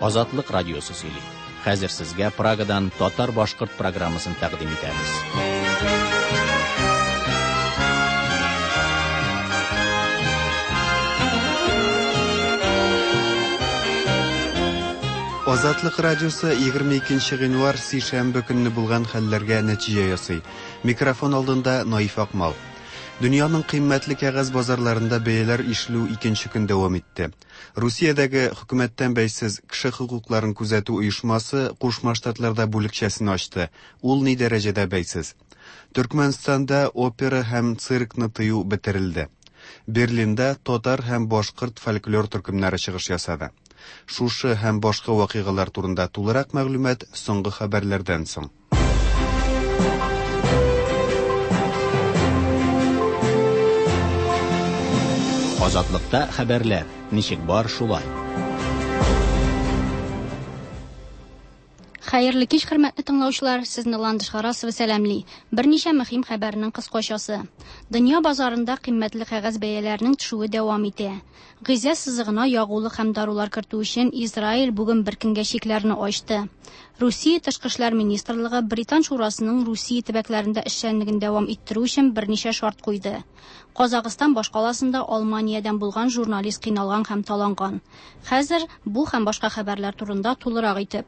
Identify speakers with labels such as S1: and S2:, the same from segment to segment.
S1: Азатлык радиосы сөйли. Хәзер сезгә Прагадан татар-башкорт программасын тәкъдим итәбез.
S2: Азатлык радиосы 22 гыйнвар сишәмбе көнне булган хәлләргә нәтиҗә ясый. Микрофон алдында Наиф Акмал. Дөньяның кыйммәтле кәгазь базарларында бәяләр ишелү икенче көн дәвам итте. Русиядәге хөкүмәттән бәйсез кеше хокукларын күзәтү оешмасы Кушма Штатларда бүлекчәсен ачты. Ул ни дәрәҗәдә бәйсез? Төркмәнстанда опера һәм циркны тыю бетерелде. Берлинда татар һәм башкорт фольклор төркемнәре чыгыш ясады. Шушы һәм башка вакыйгалар турында тулырак мәгълүмат соңгы хәбәрләрдән соң.
S1: Азатлыкта хәбәрләр ничек бар шулай.
S3: Хәерле кич, хөрмәтле тыңлаучылар, сезне Ландыш Харасова сәламли. Берничә мөһим хәбәрнең кыскачасы. Дөнья базарында кыйммәтле кәгазь бәяләренең төшүе дәвам итә. Гыйзә сызыгына ягулык һәм дарулар кертү өчен Израиль бүген бер көнгә чикләрне ачты. Русия Тышкы эшләр министрлыгы Британ шурасының Русия төбәкләрендә эшчәнлеген дәвам иттерү өчен берничә шарт куйды. Казахстан башкаласында Алманиядән булган журналист кыйналган һәм таланган. Хәзер бу һәм башка хәбәрләр турында тулырак итеп.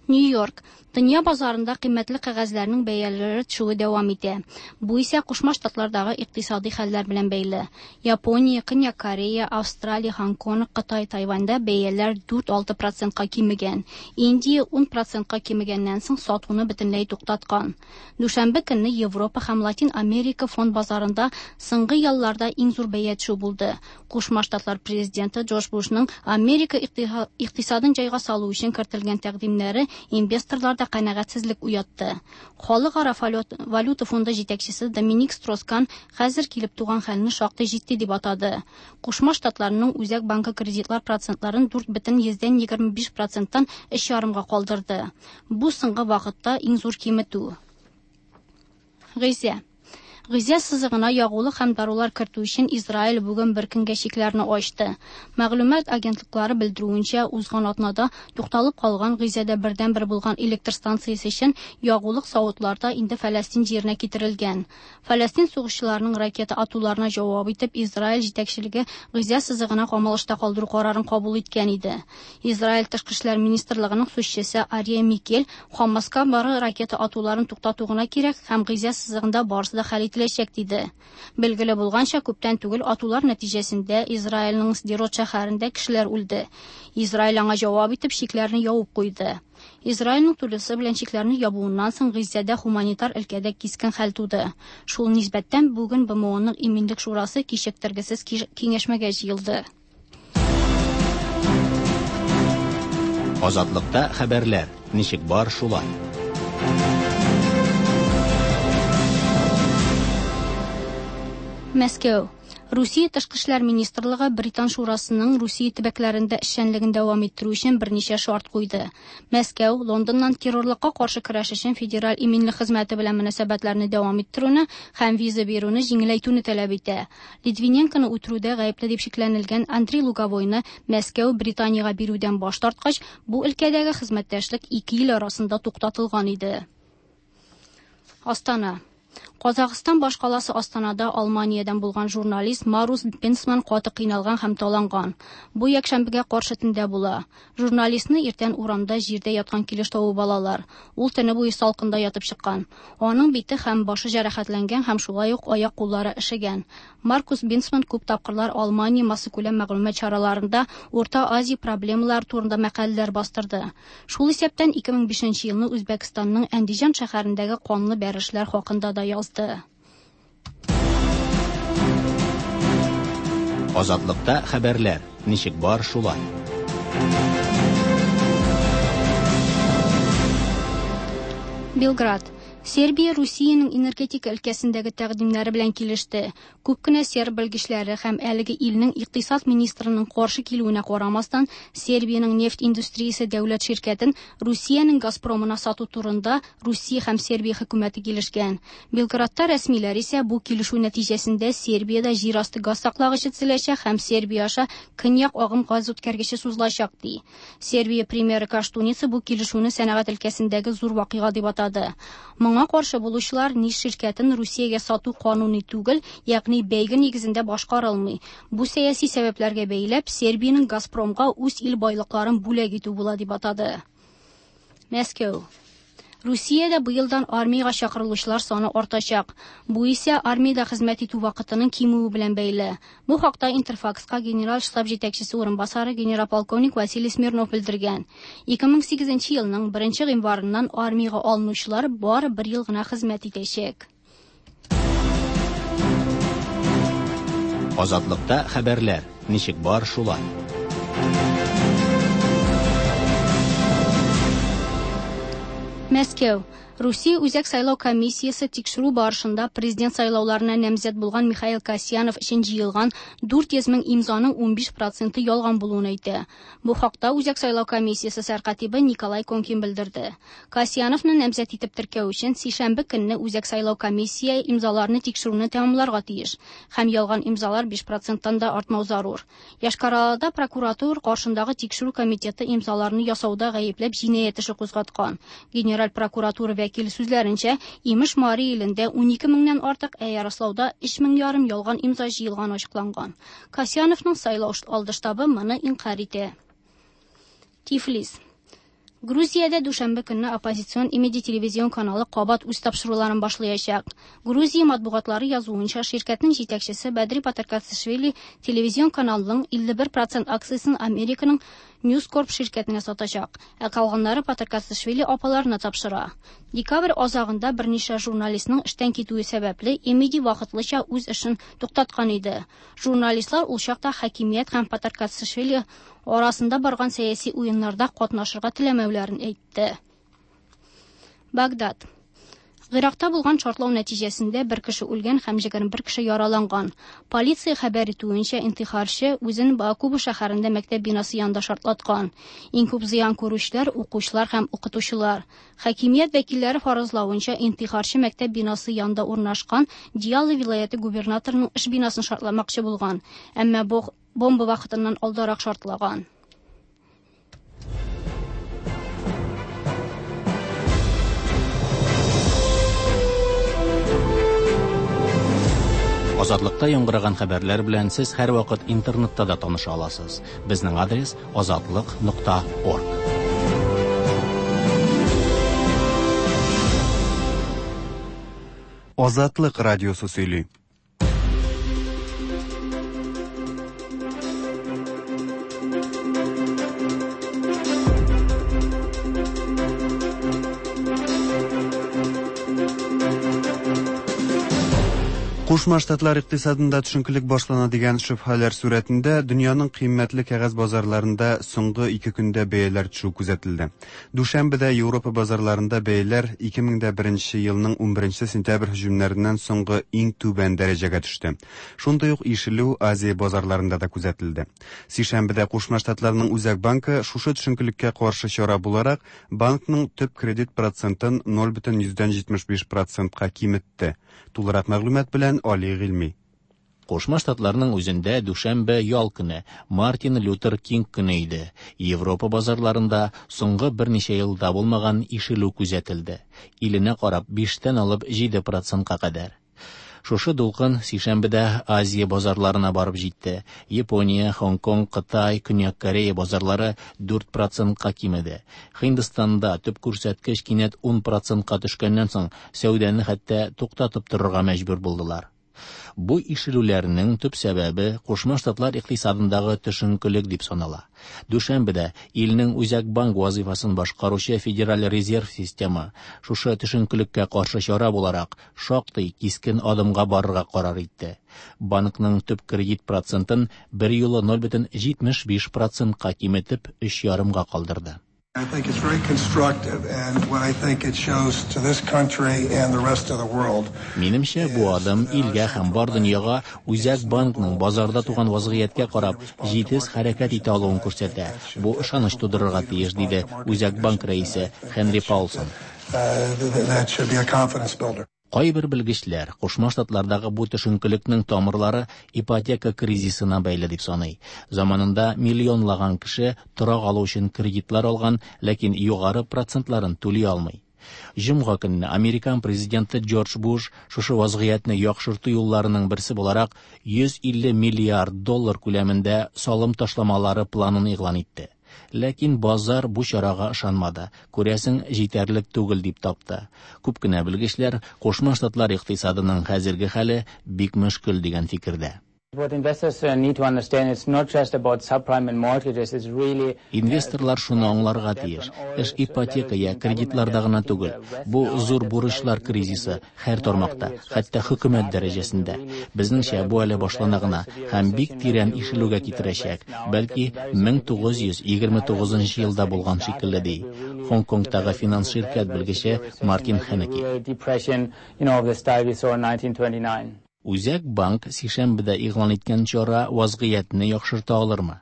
S3: Нью-Йорк. Дөнья базарында кыйммәтле кәгазьләрнең бәяләре төшүе дәвам итә. Бу исә Кушма Штатлардагы икътисади хәлләр белән бәйле. Япония, Көньяк Корея, Австралия, Һонконг, Кытай, Тайваньда бәяләр 4-6 процентка кимегән. Индия 10 процентка кимегәннән соң сатуны бөтенләй туктаткан. Дүшәмбе көнне Европа һәм Латин Америка фонд базарында соңгы елларда иң зур бәя төшү булды. Кушма Штатлар президенты Джордж Бушның Америка икътисадын җайга салу өчен кертелгән тәкъдимнәре инвесторларда канәгатьсезлек уятты. Халыкара валюта фонды җитәкчесе Доминик Строскан хәзер килеп туган хәлне шактый җитди дип атады. Кушма Штатларның Үзәк банкы кредитлар процентларын 4,25 проценттан 3,5-га калдырды. Бу соңгы вакытта иң зур киметү. Гыйзә. Гыйзә сызыгына ягулык һәм дарулар кертү өчен Израиль бүген бер көнгә чикләрне ачты. Мәгълүмат агентлыклары белдерүенчә, узган атнада тукталып калган Гыйзәдә бердәнбер булган электр станциясе өчен ягулык савытларда инде Фәләстин җиренә китерелгән. Фәләстин сугышчыларының ракета атуларына җавап итеп, Израиль җитәкчелеге Гыйзә сызыгына камалышта калдыру карарын кабул иткән иде. Израиль тышкы эшләр министрлыгының сүзчесе Ария Микель Хамаска бары ракета атуларын туктату гына кирәк һәм Гыйзә сызыгында барысы да хәл ителәчәк диде. Билгеле булганча, күптән түгел атулар нәтиҗәсендә Израильнең Сдерот шәһәрендә кешеләр үлде. Израиль аңа җавап итеп чикләрне ябып куйды. Израильнең тулысы белән чикләрне ябуыннан соң Гыйзәдә гуманитар өлкәдә кискен хәл туды. Шул нисбәттән бүген БМОның Иминлек шурасы кичектергесез киңәшмәгә җыелды.
S1: Азатлыкта хәбәрләр ничек бар шулай.
S3: Мәскәү. Русия Тышкы эшләр министрлыгы Британ шурасының Русия төбәкләрендә эшчәнлеген дәвам иттерү өчен берничә шарт куйды. Мәскәү Лондоннан террорлыкка каршы көрәш өчен Федераль иминлек хезмәте белән мөнәсәбәтләрне дәвам иттерүне һәм виза бирүне җиңеләйтүне таләп итә. Литвиненконы үтерүдә гаепле дип шикләнелгән Андрей Луговойны Мәскәү Британиягә бирүдән баш тарткач, бу өлкәдәге хезмәттәшлек ике ил арасында туктатылган иде. Астана. Казахстан башкаласы Астанада Алманиядән булган журналист Марус Бенсман каты кыйналган һәм таланган. Бу якшәмбегә каршы төндә була. Журналистны иртән урамда җирдә яткан килеш табып алалар. Ул төне буе салкында ятып чыккан. Аның бите һәм башы җәрәхәтләнгән һәм шулай ук аяк-куллары өшегән. Маркус Бенсман күп тапкырлар Алмания массакүләм мәгълүмат чараларында Урта Азия проблемалары турында мәкаләләр бастырды. Шул исәптән 2005 елны Үзбәкстанның Әндиҗан шәһәрендәге канлы бәрелешләр хакында да язды.
S1: Азатлыкта хәбәрләр ничек бар шулай.
S3: Белград. Сербия Русиянең энергетика өлкәсендәге тәкъдимнәре белән килеште. Күп кенә серб белгечләре һәм әлеге илнең икътисад министрының каршы килүенә карамастан, Сербиянең нефть индустриясе дәүләт ширкәтен Русиянең Газпромына сату турында Русия һәм Сербия хөкүмәте килешкән. Белградта рәсмиләр исә бу килешү нәтиҗәсендә Сербиядә җир асты газ саклагычы төзеләчәк һәм Сербия аша көньяк агым газ үткәргече сузылачак ди. Сербия премьеры Коштуница бу килешүне сәнәгать өлкәсендәге зур вакыйга дип атады. Моңа каршы булучылар НИШ ширкәтен Русиягә сату кануни түгел, ягъни бәйге нигезендә башкарылмый. Бу сәяси сәбәпләргә бәйләп, Сербиянең Газпромга үз ил байлыкларын бүләк итү була дип атады. Мәскәү. Русиядә быелдан армиягә чакырылучылар саны артачак. Бу исә армиядә хезмәт итү вакытының кимүе белән бәйле. Бу хакта Интерфакска генераль штаб җитәкчесе урынбасары генерал-полковник Василий Смирнов белдергән. 2008 елның 1 гыйнварыннан армиягә алынучылар бары бер ел гына хезмәт итәчәк.
S1: Азатлыкта хәбәрләр ничек бар шулай.
S3: Мәскәү. Русия Үзәк сайлау комиссиясе тикшерү барышында президент сайлауларына намзәт булган Михаил Касьянов өчен җыелган 400 мең имзаның 15 проценты ялган булуын әйтә. Бу хакта Үзәк сайлау комиссиясе сәркатибе Николай Конкин белдерде. Касьяновны намзәт итеп теркәү өчен сишәмбе көнне Үзәк сайлау комиссия имзаларны тикшерүне тәмамларга тиеш һәм ялган имзалар 5 проценттан да артмау зарур. Йошкар-Олада прокуратура каршындагы тикшерү комитеты имзаларны ясауда гаепләп җинаять эше кузгаткан. Генераль прокуратура вәкиле сүзләренчә, имеш Мари илендә 12 меңнән артык, ә Ярослауда 3 мең ярым ялган имза җыелган ачыкланган. Касьяновның сайлау алды штабы моны инкарь итә. Тифлис. Грузиядә дүшәмбе көнне оппозицион Имеди телевизион каналы кабат үз тапшыруларын башлаячак. Грузия матбугатлары язуынча, ширкәтнең җитәкчесе Бәдри Патаркацишвили телевизион каналның 51% акциясен Американың News Corp ширкәтенә сатачак, ә калганнары Патаркацишвили апаларына тапшыра. Декабрь азагында берничә журналистның эштән китүе сәбәпле Имеди вакытлыча үз эшен туктаткан иде. Журналистлар ул чакта хакимият һәм Патаркацишвили арасында барган сәяси уеннарда катнашырга теләмәүләрен әйтте. Багдад. Гыйракта булган шартлау нәтиҗәсендә бер кеше үлгән һәм 21 кеше яраланган. Полиция хәбәр итүенчә, интихарчы үзен Бакуба шәһәрендә мәктәп бинасы янында шартлаткан. Иң күп зыян күрүчеләр укучылар һәм укытучылар. Хакимият вәкилләре фаразлавынча, интихарчы мәктәп бинасы янында урнашкан Диалы вилаяте губернаторының эш бинасын шартламакчы булган, әмма бу бомба вакытыннан алдарак шартлаган.
S1: Азатлыкта яңгыраган хәбәрләр белән сез һәрвакыт интернетта да таныша аласыз. Безнең адрес azatliq.org.
S2: Азатлык радиосы сөйли. Кушма Штатлар икътисадында төшенкелек башлана дигән шөбһәләр сурәтендә дөньяның кыйммәтле кәгазь базарларында соңгы ике көндә бәяләр төшү күзәтелде. Дүшәмбедә Европа базарларында бәяләр 2001 елның 11 сентябрь һөҗүмнәреннән соңгы иң түбән дәрәҗәгә төште. Шундый ук ишелү Азия базарларында да күзәтелде. Сишәмбедә Кушма Штатларның Үзәк банкы шушы төшенкелеккә каршы чара буларак банкның төп кредит процентын 0,75 процентка киметте. Тулырак мәгълүмат белән Али Гыйльми.
S1: Кушма Штатларның үзендә дүшәмбе ял көне, Мартин Лютер Кинг көне иде. Европа базарларында соңгы берничә елда булмаган ишелү күзәтелде. Иленә карап 5-тән алып 7 процентка кадәр. Шушы дулкын сишәмбедә Азия базарларына барып җитте. Япония, Хонг-Конг, Кытай, Көньяк Корея базарлары 4 процентка кимеде. Һиндстанда төп күрсәткеч кинәт 10 процентка төшкәннән соң сәүдәне хәтта туктатып торырга мәҗбүр булдылар. Бу ишелүләрнең төп сәбәбе Кушма Штатлар икътисадындагы төшенкелек дип санала. Дүшәмбедә илнең Үзәк банк вазифасын башкаручы Федераль резерв системы шушы төшенкелеккә каршы чара буларак шактый кискен адымга барырга карар итте. Банкның төп кредит процентын бер юлы 0,75 процентка киметеп 3,5-га калдырды.
S4: I think it's very constructive, and what I think it shows to this country and the rest of the world.
S1: Минемчә, бу адым илгә һәм бар дөньяга Үзәк банкның базарда туган вазгыятькә карап җитез хәрәкәт итә алуын күрсәтә. Бу ышаныч тудырырга тиеш, диде Үзәк банк рәисе Хенри Паулсон.
S4: That should be a confidence builder.
S1: Кайбер белгечләр Кушма Штатлардагы бу төшенкелекнең тамырлары ипотека кризисына бәйле дип саный. Заманында миллионлаган кеше торак алу өчен кредитлар алган, ләкин югары процентларын түли алмый. Җомга көнне американ президенты Джордж Буш шушы вазгыятьне яхшырту юлларының берсе буларак 150 миллиард доллар күләмендә салым ташламалары планын игълан итте. Ләкин базар бу чарага ышанмады. Күрәсең, җитәрлек түгел дип тапты. Күп кенә белгечләр Кушма Штатлар икътисадының хәзерге хәле бик мөшкел дигән фикердә.
S5: What investors need to understand, it's not just about subprime and mortgages, it's really
S1: Инвесторлар шуны аңларга тиеш. Эш ипотека я кредитларда гына түгел. Бу зур бурычлар кризисы һәр тармакта, хәтта хөкүмәт дәрәҗәсендә. Безнеңчә, бу әле башлана гына һәм бик тирән ишелүгә китерәчәк. Бәлки 1929 елда булган шикелле, ди Хонг-Конгтагы финанс ширкәт белгече Мартин Хенеки.
S5: Depression, of the style we saw in 1929.
S1: Үзәк банк сишәмбедә игълан иткән чара вазгыятьне яхшырта алырмы?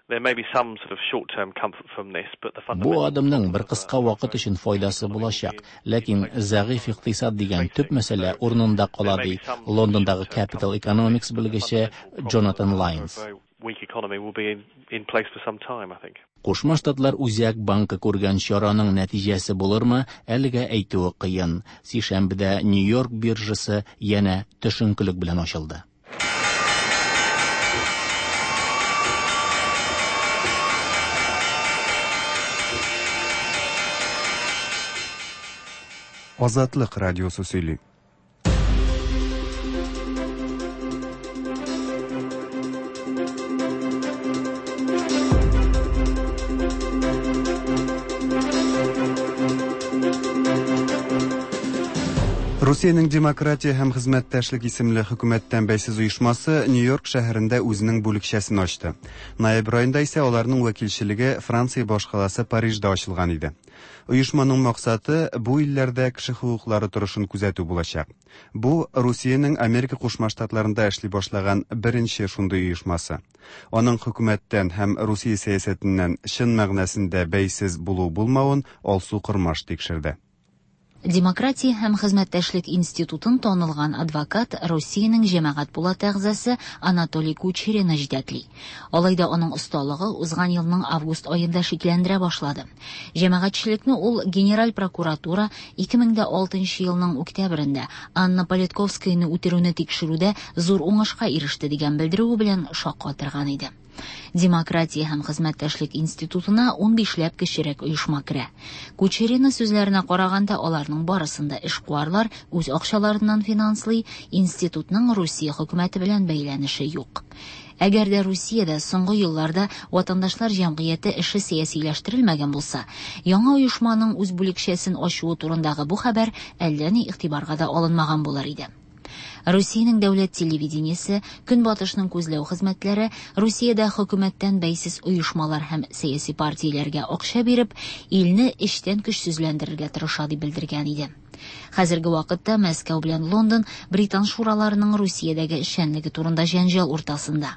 S6: There may be some sort of short-term comfort from this, but the
S1: Бу адымның бер кыска вакыт өчен файдасы булачак, ләкин зәгыйфь икътисад дигән төп мәсьәлә урынында кала, ди Лондондагы Capital Economics белгече Джонатан Лайнс.
S6: Weak economy will be in place for some time, I think.
S1: Кушма Штатлар Үзәк банкы күргән чараның нәтиҗәсе булырмы, әлегә әйтүе кыен. Сишәмбедә Нью-Йорк биржасы янә төшенкелек белән ачылды.
S2: Азатлык радиосы сөйли. Русиянең Демократия һәм хезмәттәшлек исемле хөкүмәттән бәйсез оешмасы Нью-Йорк шәһәрендә үзенең бүлекчәсен ачты. Ноябрь аенда исә аларның вәкилчелеге Франция башкаласы Парижда ачылган иде. Оешманың максаты бу илләрдә кеше хокуклары торышын күзәтү булачак. Бу Русиянең Америка Кушма Штатларында эшли башлаган беренче шундый оешмасы. Аның хөкүмәттән һәм Русия сәясәтеннән чын мәгънәсендә бәйсез булу булмавын Алсу Кормаш тикшерде.
S7: Демократия һәм хезмәттәшлек институтын танылган адвокат, Русиянең җәмәгать пулаты әгъзасы Анатолий Кучерина җитәкли. Алай да аның осталыгы узган елның август аенда шикләндерә башлады. Җәмәгатьчелекне ул Генераль прокуратура 2006 елның октябрендә Анна Политковскаяны үтерүне тикшерүдә зур уңышка иреште дигән белдерүе белән шаккатырган иде. Демократия һәм хезмәттәшлек институтына 15ләп кечерәк оешма керә. Кучерина сүзләренә караганда, аларның барысын да эшкуарлар үз акчаларыннан финанслый, институтның Русия хөкүмәте белән бәйләнеше юк. Әгәр дә Русиядә соңгы елларда ватандашлар җәмгыяте эше сәясиләштерелмәгән булса, яңа оешманың үз бүлекчәсен ачуы турындагы бу хәбәр әллә ни игътибарга да алынмаган булыр иде. Русиянең дәүләт телевидениесе, Көнбатышның күзләү хезмәтләре Русиядә хөкүмәттән бәйсез оешмалар һәм сәяси партияләргә акча биреп, илне эчтән көчсезләндерергә тырыша дип белдергән иде. Хәзерге вакытта Мәскәү белән Лондон Британ шураларының Русиядәге эшчәнлеге турында җәнҗал уртасында.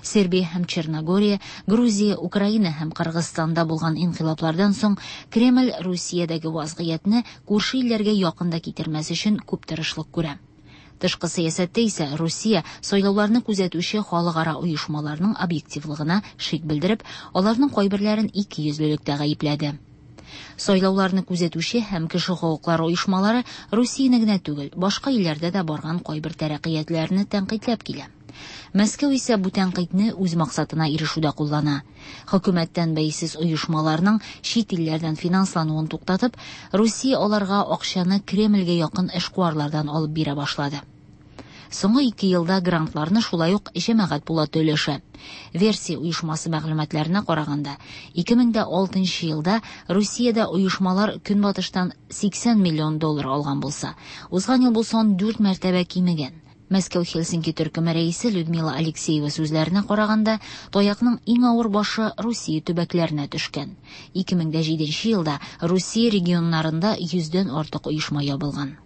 S7: Сербия һәм Черногория, Грузия, Украина һәм Кыргызстанда булган инкыйлаблардан соң Кремль Русиядәге вазгыятьне күрше илләргә якын да китермәс өчен күп тырышлык күрә. Тышкы сәясәттә исә Русия сайлауларны күзәтүче халыкара оешмаларның объективлыгына шик белдереп, аларның кайберләрен икейөзлелектә гаепләде. Сайлауларны күзәтүче һәм кеше хокуклары оешмалары Русияне генә түгел, башка илләрдә дә барган кайбер тәрәккыятләрне тәнкыйтьләп килә. Мәскәү исә бу тәнкыйтьне үз максатына ирешүдә куллана. Хөкүмәттән бәйсез оешмаларның чит илләрдән финанслануын туктатып, Русия аларга акчаны Кремльгә якын эшкуарлардан алып бирә башлады. Соңгы 2 елда грантларны шулай ук җәмәгать пулаты өләшә. Версия оешмасы мәгълүматларына караганда, 2006 елда Русиядә оешмалар Көнбатыштан 80 миллион доллар алган булса, узган ел бу сан 4 мәртәбә кимегән. Мәскәү Хельсинки төркеме рәисе Людмила Алексеева сүзләренә караганда, таякның иң авыр башы Русия төбәкләренә төшкән. 2007 елда Русия регионнарында йөздән артык оешма ябылган.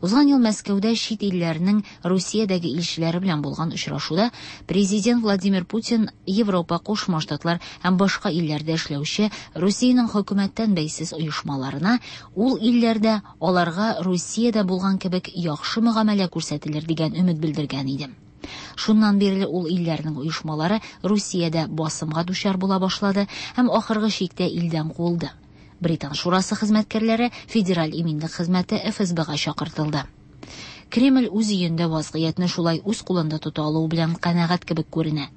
S7: Узган ел Мәскәүдә чит илләрнең Русиядәге илчеләре белән булган очрашуда президент Владимир Путин Европа, Кушма Штатлар һәм башка илләрдә эшләүче Русиянең хөкүмәттән бәйсез оешмаларына ул илләрдә аларга Русиядә булган кебек яхшы мөгамәлә күрсәтелер дигән өмет белдергән иде. Шуннан бирле ул илләрнең оешмалары Русиядә басымга дучар була башлады һәм ахыргы чиктә илдән куылды. Британ шурасы хезмәткәрләре Федераль иминлек хезмәте ФСБга чакыртылды. Кремль үз өендә вазгыятьне шулай үз кулында тота алуы белән канәгать кебек күренә.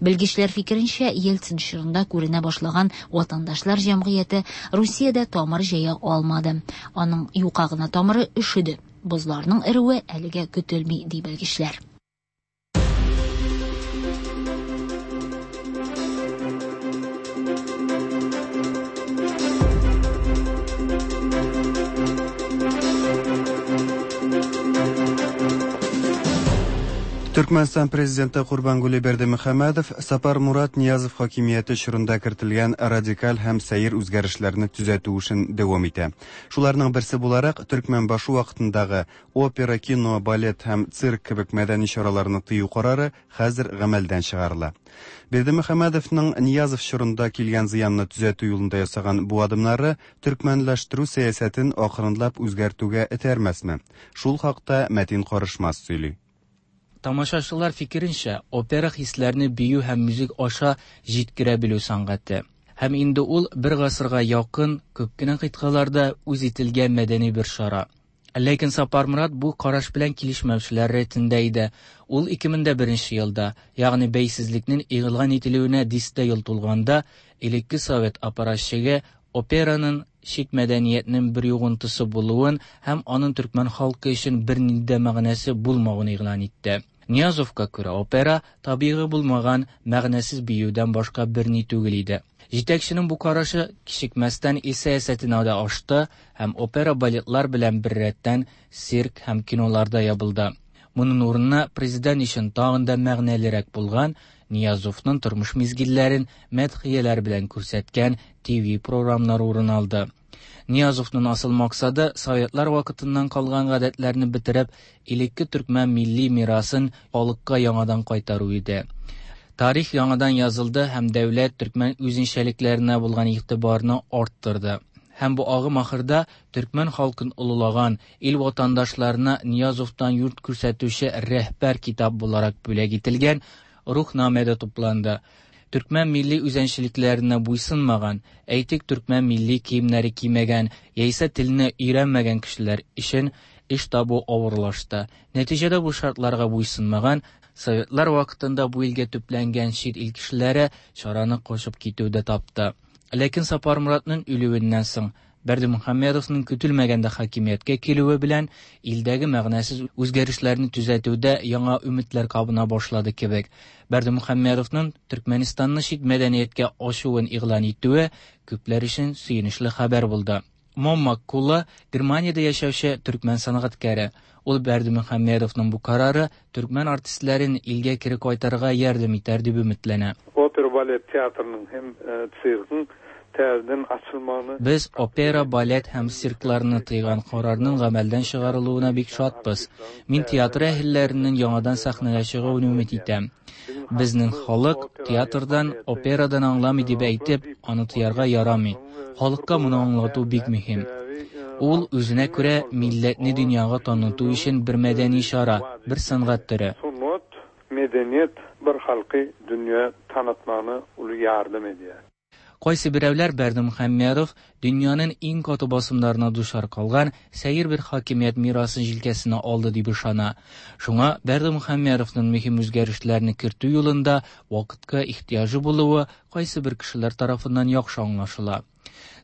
S7: Белгечләр фикеренчә, Ельцин чорында күренә башлаган ватандашлар җәмгыяте Русиядә тамыр җәя алмады. Аның юка гына тамыры өшеде. Бозларның эрүе әлегә көтелми, ди белгечләр.
S2: Төркмәнстан президенты Курбангулы Бердымөхәммәдов Сапармурат Ниязов хакимияте чорында кертелгән радикаль һәм сәер үзгәрешләрне төзәтү эшен дәвам итә. Шуларның берсе буларак, Төркмәнбашы вакытындагы опера, кино, балет һәм цирк кебек мәдәни чараларны тыю карары хәзер гамәлдән чыгарыла. Бердымөхәммәдовның Ниязов чорында килгән зыянны төзәтү юлында ясаган бу адымнары төркмәнләштерү сәясәтен акрынлап үзгәртүгә этәрмәсме? Шул хакта Мәтин Карышмас сөйли.
S5: Тамашачылар фикеренчә, опера хисләрне бию һәм музыка аша җиткерә белү сәнгате. Һәм инде ул бер гасырга якын күп кенә кыйтгаларда үз ителгән мәдәни бер чара. Ләкин Сапармурат бу караш белән килешмәүчеләр рәтендә иде. Ул 2001 елда, ягъни бәйсезлекнең игълан ителүенә дистә ел тулганда, элекке совет аппаратчыгы операның чит мәдәниятнең бер йогынтысы булуын һәм аның төркмән халкы өчен бернинди дә мәгънәсе булмавын игълан итте. Ниязовка күрә опера табигый булмаган мәгънәсез биюдән башка берни түгел иде. Җитәкченең бу карашы кичекмәстән ил сәясәтенә дә ашты һәм опера балетлар белән беррәттән цирк һәм киноларда ябылды. Моның урынына президент өчен тагын да мәгънәлерәк булган Ниязовның тормыш мизгелләрен мәдхияләр белән күрсәткән ТВ програмнары урын алды. Ниязовның асыл максаты советлар вакытыннан калган гадәтләрне бетереп, элекке төркмән милли мирасын халыкка яңадан кайтару иде. Тарих яңадан язылды һәм дәүләт төркмән үзенчәлекләренә булган игътибарны арттырды. Һәм бу агым ахырда төркмән халкын олылаган ил ватандашларына Ниязовтан юрт күрсәтүче рәһбәр китап буларак бүләк ителгән Рухнамәдә тупланды. Төркмән милли үзенчәлекләренә буйсынмаган, әйтик, төркмән милли киемнәре кимәгән яисә телне өйрәнмәгән кешеләр өчен эш табу авырлашты. Нәтиҗәдә бу шартларга буйсынмаган советлар вакытында бу илгә төпләнгән чит ил кешеләре чараны кочып китүдә тапты. Ләкин Сапармуратның үлүеннән соң Бердымөхәммәдовның көтелмәгәндә хакимияткә килүе белән илдәге мәгънәсез үзгәрешләрне төзәтүдә яңа өметләр кабына башлады кебек. Бердымөхәммәдовның Төркмәнистанны чит мәдәнияткә ачуын игълан итүе күпләр өчен сөенечле хәбәр булды. Момма Кулла Германиядә яшәүче төркмән сәнгатькәре. Ул Бердымөхәммәдовның бу карары төркмән артистларын илгә кире кайтарырга ярдәм итәр дип өметләнә.
S8: Опера балет театрының һәм циркның тәздән ачылманы.
S5: Без опера, балет һәм циркларны тыйган карарның гамәлдән чыгарылуына бик шатбыз. Мин театр әһелләренең яңадан сәхнәгә чыгуын өмет итәм. Безнең халык театрдан, операдан аңламый дип әйтеп, аны тыярга ярамый. Халыкка моны аңлату бик мөһим. Ул үзенә күрә милләтне дөньяга таныту өчен бер мәдәни чара, бер сәнгать төре.
S8: Sungat, medeniýet bir halky dünýä tanıtmagyna uly ýardam edýär.
S5: Кайсы берәүләр Бердымөхәммәдов дөньяның иң каты басымнарына дучар калган сәер бер хакимият мирасын җилкәсенә алды дип ышана. Шуңа Бердымөхәммәдовның мөһим үзгәрешләрне кертү юлында вакытка ихтыяҗы булуы кайсы бер кешеләр тарафыннан яхшы аңлашыла.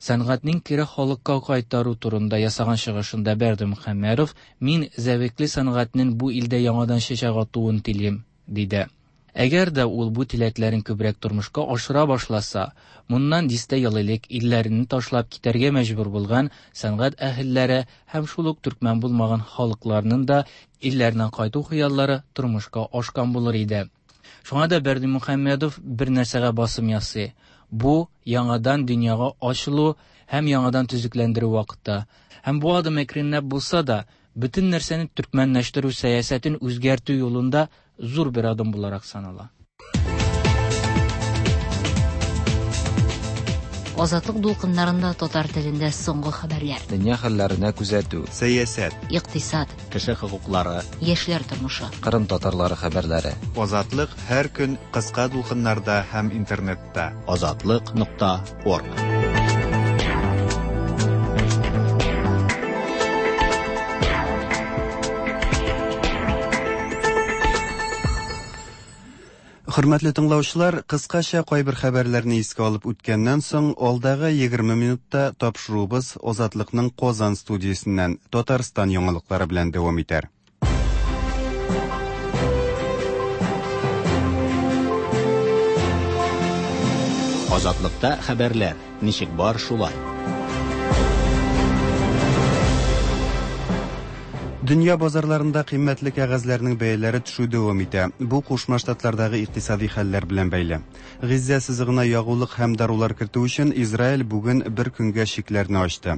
S5: Сәнгатьнең кире халыкка кайтару турында ясаган чыгышында Бердымөхәммәдов: "Мин зәвыклы сәнгатьнең бу илдә яңадан чәчәк атуын телим", диде. Әгәр дә ул бу теләкләрен күбрәк тормышка ашыра башласа, моннан дистә ел элек илләрен ташлап китәргә мәҗбүр булган сәнгать әһелләре һәм шул ук төркмән булмаган халыкларның да илләренә кайту хыяллары тормышка ашкан булыр иде. Шуңа да Бердымөхәммәдов бер нәрсәгә басым ясый. Бу, яңадан дөньяга ачылу һәм яңадан төзекләндерү вакыты. Һәм бу адым әкренләп булса да, бөтен нәрсәне төркмәнләштерү сәясәтен үзгәртү юлында зур бер адым буларак санала.
S7: Азатлык дулкыннарында татар телендә соңгы хәбәрләр.
S9: Дөнья хәлләренә күзәтү.
S2: Сәясәт.
S7: Икътисад.
S1: Кеше хокуклары.
S7: Яшьләр тормышы.
S9: Кырым татарлары хәбәрләре.
S2: Азатлык һәр көн кыска дулкыннарда һәм интернетта.
S1: Азатлык.орг.
S2: Хөрмәтле тыңлаучылар, кыскача кайбер хәбәрләрне искә алып үткәннән соң, алдагы 20 минутта тапшыруыбыз Азатлыкның Казан студиясеннән Татарстан яңалыклары белән дәвам итәр.
S1: Азатлыкта хәбәрләр ничек бар шулай.
S2: Дөнья базарларында кыйммәтле кәгазьләрнең бәяләре төшү дәвам итә. Бу Кушма Штатлардагы икътисади хәлләр белән бәйле. Гыйззә сызыгына ягулык һәм дарулар кертү өчен Израиль бүген бер көнгә чикләрне ачты.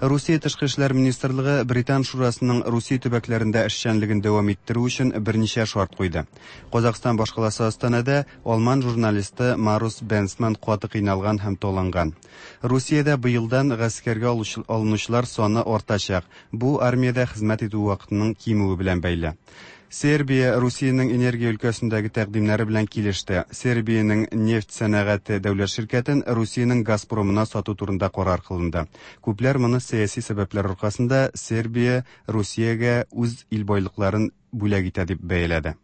S2: Русия тышкы эшләр министрлыгы Британ шурасының Русия төбәкләрендә эшчәнлеген дәвам иттерү өчен берничә шарт куйды. Казахстан башкаласы Астанада алман журналисты Марус Бенсман каты кыйналган һәм таланган. Русиядә быелдан гаскәргә алынучылар саны артачак. Бу армиядә хезмәт итү вакытының кимүе белән бәйле. Сербия Русиянең энергия өлкәсендәге тәкъдимнәре белән килеште. Сербиянең нефть сәнәгате дәүләт ширкәтен Русиянең Газпромына сату турында карар кылынды. Күпләр моны сәяси сәбәпләр аркасында Сербия Русиягә үз ил байлыкларын бүләк итә дип бәяләде.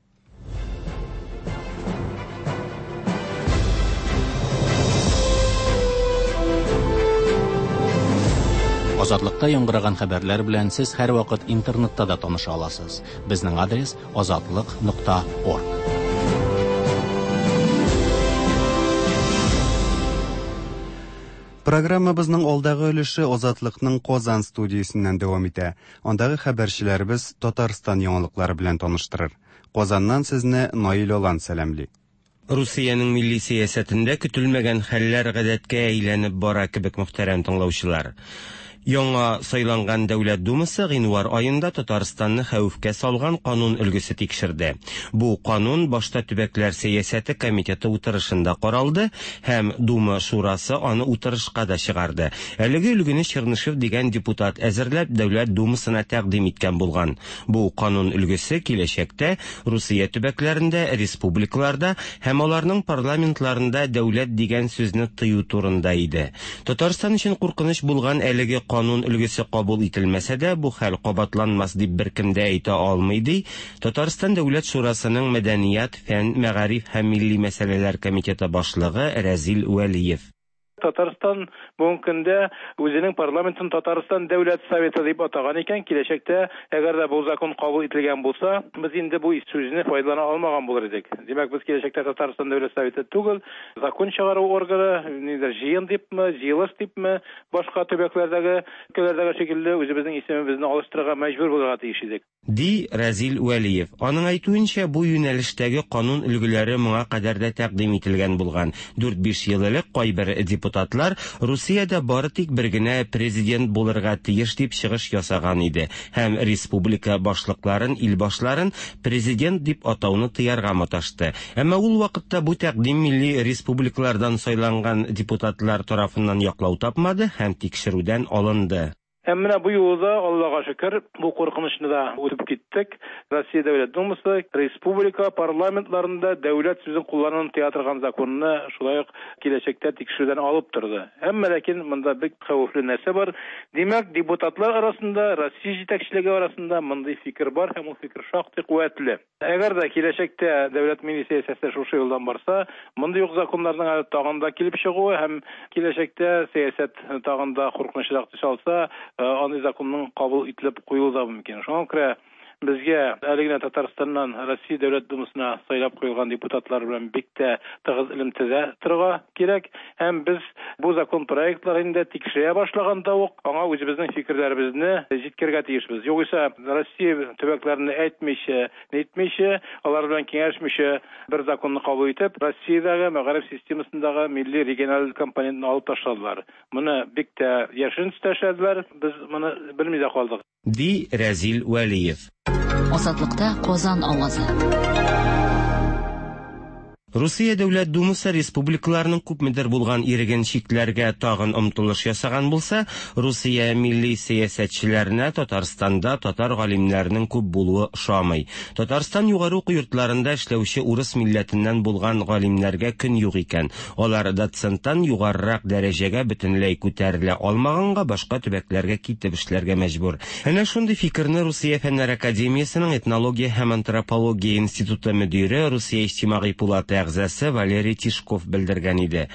S1: Азатлыкта яңгыраган хәбәрләр белән сез һәрвакыт интернетта да таныша аласыз. Безнең адрес азатлык.орг.
S2: Программабызның алдагы өлеше Азатлыкның Казан студиясеннән дәвам итә. Андагы хәбәрчеләребез Татарстан яңалыклары белән таныштырыр. Казаннан сезне Наил Алан сәламли.
S10: Русиянең милли сәясәтендә көтелмәгән хәлләр гадәткә әйләнеп бара кебек, мөхтәрәм тыңлаучылар. Яңа сайланган Дәүләт Думасы гыйнвар аенда Татарстанны хәвефкә салган канун өлгесе тикшерде. Бу канун башта төбәкләр сәясәте комитеты утырышында каралды һәм Дума шурасы аны утырышка да чыгарды. Әлеге өлгене Чернышев дигән депутат әзерләп Дәүләт Думасына тәкъдим иткән булган. Бу канун өлгесе киләчәктә Русия төбәкләрендә, республикаларда һәм аларның парламентларында дәүләт дигән сүзне тыю турында иде. Татарстан өчен куркыныч булган әлеге канун өлгесе кабул ителмәсә дә, бу хәл кабатланмас дип беркем дә әйтә алмый, ди Татарстан Дәүләт Шурасының Мәдәният, фән, мәгариф һәм милли мәсьәләләр комитеты башлыгы Рәзил Вәлиев.
S11: Татарстан бүгенге көндә үзенең парламентын Татарстан Дәүләт Советы дип атаган икән, киләчәктә әгәр дә бу закон кабул ителгән булса, без инде бу сүзне файдалана алмаган булыр идек. Димәк, без киләчәктә Татарстан Дәүләт Советы түгел, закон чыгару органы, ниндидер җыен дипме, җыелыш дипме, башка төбәкләрдәге, өлкәләрдәге шикелле үзебезнең исемебезне алыштырырга мәҗбүр булырга тиеш идек.
S10: Ди Рәзил Вәлиев. Аның әйтүенчә, бу юнәлештәге канун өлгеләре моңа кадәр дә тәкъдим ителгән булган. 4-5 ел элек кайбер депутатлар Русиядә бары тик бер генә президент булырга тиеш дип чыгыш ясаган иде һәм республика башлыкларын, ил башларын президент дип атауны тыярга маташты. Әмма ул вакытта бу тәкъдим милли республикалардан сайланган депутатлар тарафыннан яклау тапмады һәм тикшерүдән алынды.
S11: Һәм менә бу юлы да, Аллага шөкер, бу куркынычны да үтеп киттек. Россия Дәүләт Думасы республика парламентларында дәүләт сүзен куллануны тыя торган законны шулай ук киләчәктә тикшерүдән алып торды. Әмма ләкин монда бик хәвефле нәрсә бар. Димәк, депутатлар арасында, Россия җитәкчелеге арасында мондый фикер бар һәм ул фикер шактый куәтле. Әгәр дә киләчәктә дәүләт милли сәясәте шушы юлдан барса, мондый ук законнарның әле тагын да килеп чыгуы һәм киләчәктә сәясәт тагын да куркынычрак төс алса, андый законның кабул ителеп куелуы да мөмкин. Шуңа күрә Безгә әле генә Татарстаннан Россия Дәүләт Думасына сайлап куелган депутатлар белән бик тә тыгыз элемтәдә торырга кирәк. Һәм без бу закон проектларын инде тикшерә башлаганда ук аңа үзебезнең фикерләребезне җиткерергә тиешбез. Югыйсә Россия төбәкләренә әйтмичә, нитмичә, алар белән киңәшмичә бер законны кабул итеп, Россиядәге мәгариф системасындагы милли региональ компонентны алып ташладылар. Моны бик тә яшерен төстә эшләделәр, без моны белми дә калдык.
S10: Ди Рәзил Вәлиев.
S7: Азатлыкта Казан авазы.
S10: Русия Дәүләт Думасы республикаларның күпмедер булган иреген чикләргә тагын омтылыш ясаган булса, Русия милли сәясәтчеләренә Татарстанда татар галимнәренең күп булуы ошамый. Татарстан югары уку йортларында эшләүче урыс милләтеннән булган галимнәргә көн юк икән. Алар доценттан югарырак дәрәҗәгә бөтенләй күтәрелә алмаганга башка төбәкләргә китеп эшләргә мәҗбүр. Әнә шундый фикерне Русия Фәннәр академиясенең этнология һәм антропология институты мөдире, Русия иҗтимагый пулаты әгъзасы Валерий Тишков белдергән иде.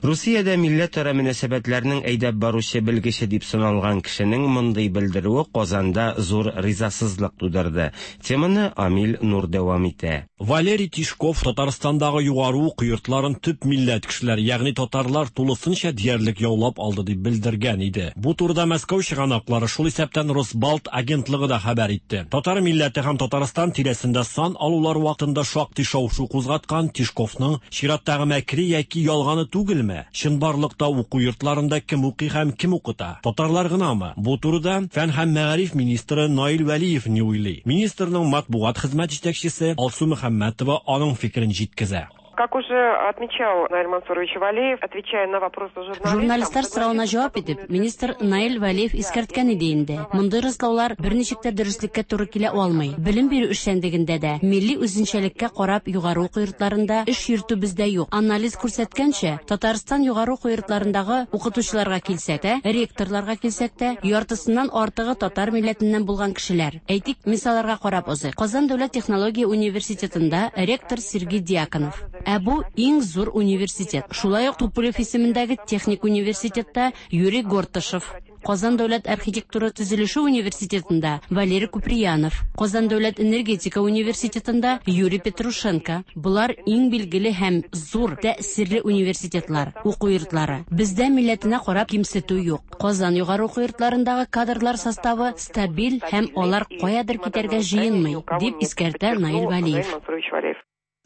S10: Русиядә милләтара мөнәсәбәтләрнең әйдәп баручы белгече дип саналган кешенең мондый белдерүе Казанда зур ризасызлык тудырды. Теманы Амил Нур дәвам итә.
S12: Валерий Тишков Татарстандагы югары уку йортларын төп милләт кешеләре, ягъни татарлар тулысынча диярлек яулап алды дип белдергән иде. Бу турыда Мәскәү чыганаклары, шул исәптән Росбалт агентлыгы да хәбәр итте. Татар милләте һәм Татарстан тирәсендә сан алулар вакытында шактый шау-шу кузгаткан Тишковның чираттагы мәкре яки ялганы түгелме? Чынбарлыкта уку йортларында кем укый һәм кем укыта? Татарлар гынамы? Бу турыда фән һәм мәгариф министры Наил Вәлиев ни уйлый? Министрның матбугат хезмәт җитәкчесе Алсу Мөхәммәтова аның фикерен җиткезә.
S13: Как уже отмечал Наиль Мансурович Валеев, отвечая на вопросы журналистов...
S14: Журналистлар соравына җавап итеп, министр Наил Вәлиев искәрткән иде инде. Мондый раслаулар берничек тә дөреслеккә туры килә алмый. Белем бирү эшчәнлегендә дә, милли үзенчәлеккә карап югары уку йортларында эш йөртү бездә юк. Анализ күрсәткәнчә, Татарстан югары уку йортларындагы укытучыларга килсәк тә, ректорларга килсәк тә, яртысыннан артыгы татар милләтеннән булган кешеләр. Әйтик, мисалларга карап узыйк. Казан дәүләт технология университетында ректор Сергей Дьяконов. Ә бу иң зур университет. Шулай ук Туполев исемендәге техник университетта Юрий Гортышев. Казан дәүләт архитектура төзелеше университетында Валерий Куприянов, Казан дәүләт энергетика университетында Юрий Петрушенко. Болар иң билгеле һәм зур тәэсирле университетлар, уку йортлары. Бездә милләтенә карап кимсетү юк. Казан югары уку йортларындагы кадрлар составы стабиль һәм алар каядыр китәргә җыенмый, дип искәртә Наил Вәлиев.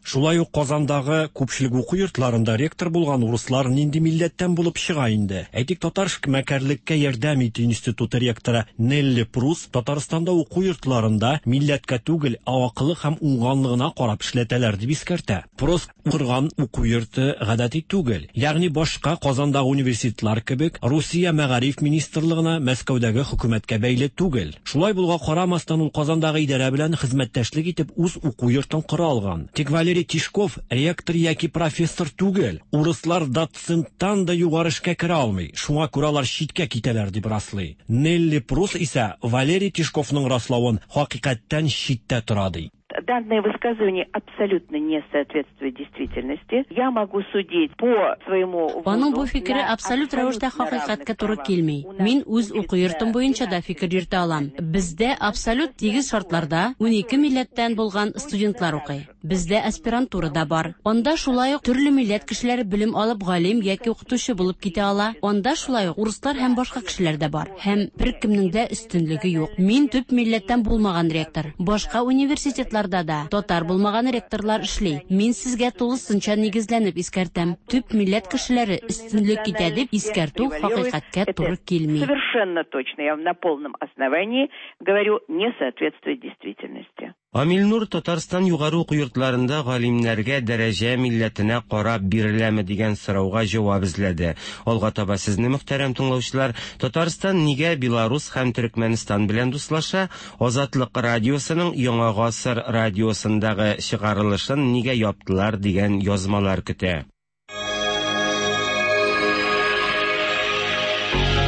S12: Шулай ук Казандагы күпчелек уку йортларында ректор булган урыслар нинди милләттән булып чыга инде? Әйтик, Татар эшмәкәрлеккә ярдәм итү институты ректоры Нелли Прус Татарстанда уку йортларында милләткә түгел, ә акылы һәм уңганлыгына карап эшләтәләр дип искәртә. Прус корган уку йорты гадәти түгел. Ягъни башка Казандагы университетлар кебек Русия мәгариф министрлыгына Мәскәүдәге хөкүмәткә бәйле түгел. Шулай булуга карамастан ул Казандагы идарә белән хезмәттәшлек итеп үз уку йортын кора алган. Тик Валерий Тишков ректор яки профессор түгел. Урыслар доценттан да югары эшкә керә алмый. Шуңа күрә алар читкә китәләр дип раслый. Нелли Прус исә Валерий Тишковның раславын хакыйкатьтән читтә тора ди.
S15: Данное высказывание абсолютно не соответствует действительности. Я могу судить по своему
S14: Аның бу фикере абсолют рәвештә хакыйкатькә туры килми. Мин үз уку йортым буенча да фикер йөртә алам. Бездә абсолют тигез шартларда 12 милләттән булган студентлар укый. Бездә аспирантура да бар. Анда шулай ук төрле милләт кешеләре белем алып галим яки укытучы булып китә ала. Анда шулай ук урыслар һәм башка кешеләр дә бар. Һәм беркемнең дә өстенлеге юк. Мин төп милләттән булмаган ректор. Башка университетларда да татар булмаган ректорлар эшли. Мин сезгә тулысынча нигезләнеп искәртәм. Төп милләт кешеләре өстенлек итә дип искәртү хакыйкатькә туры килми.
S15: Совершенно точно, я вам на полном основании говорю, не соответствует действительности.
S10: Амил Нур Татарстан югары уку йортларында галимнәргә дәрәҗә милләтенә карап биреләме дигән сорауга җавап эзләде. Алга таба сезне, мөхтәрәм тыңлаучылар, Татарстан нигә Беларус һәм Төрекмәнстан белән дуслаша, Азатлык радиосының Яңа гасыр радиосындагы чыгарылышын нигә яптылар дигән язмалар көтә.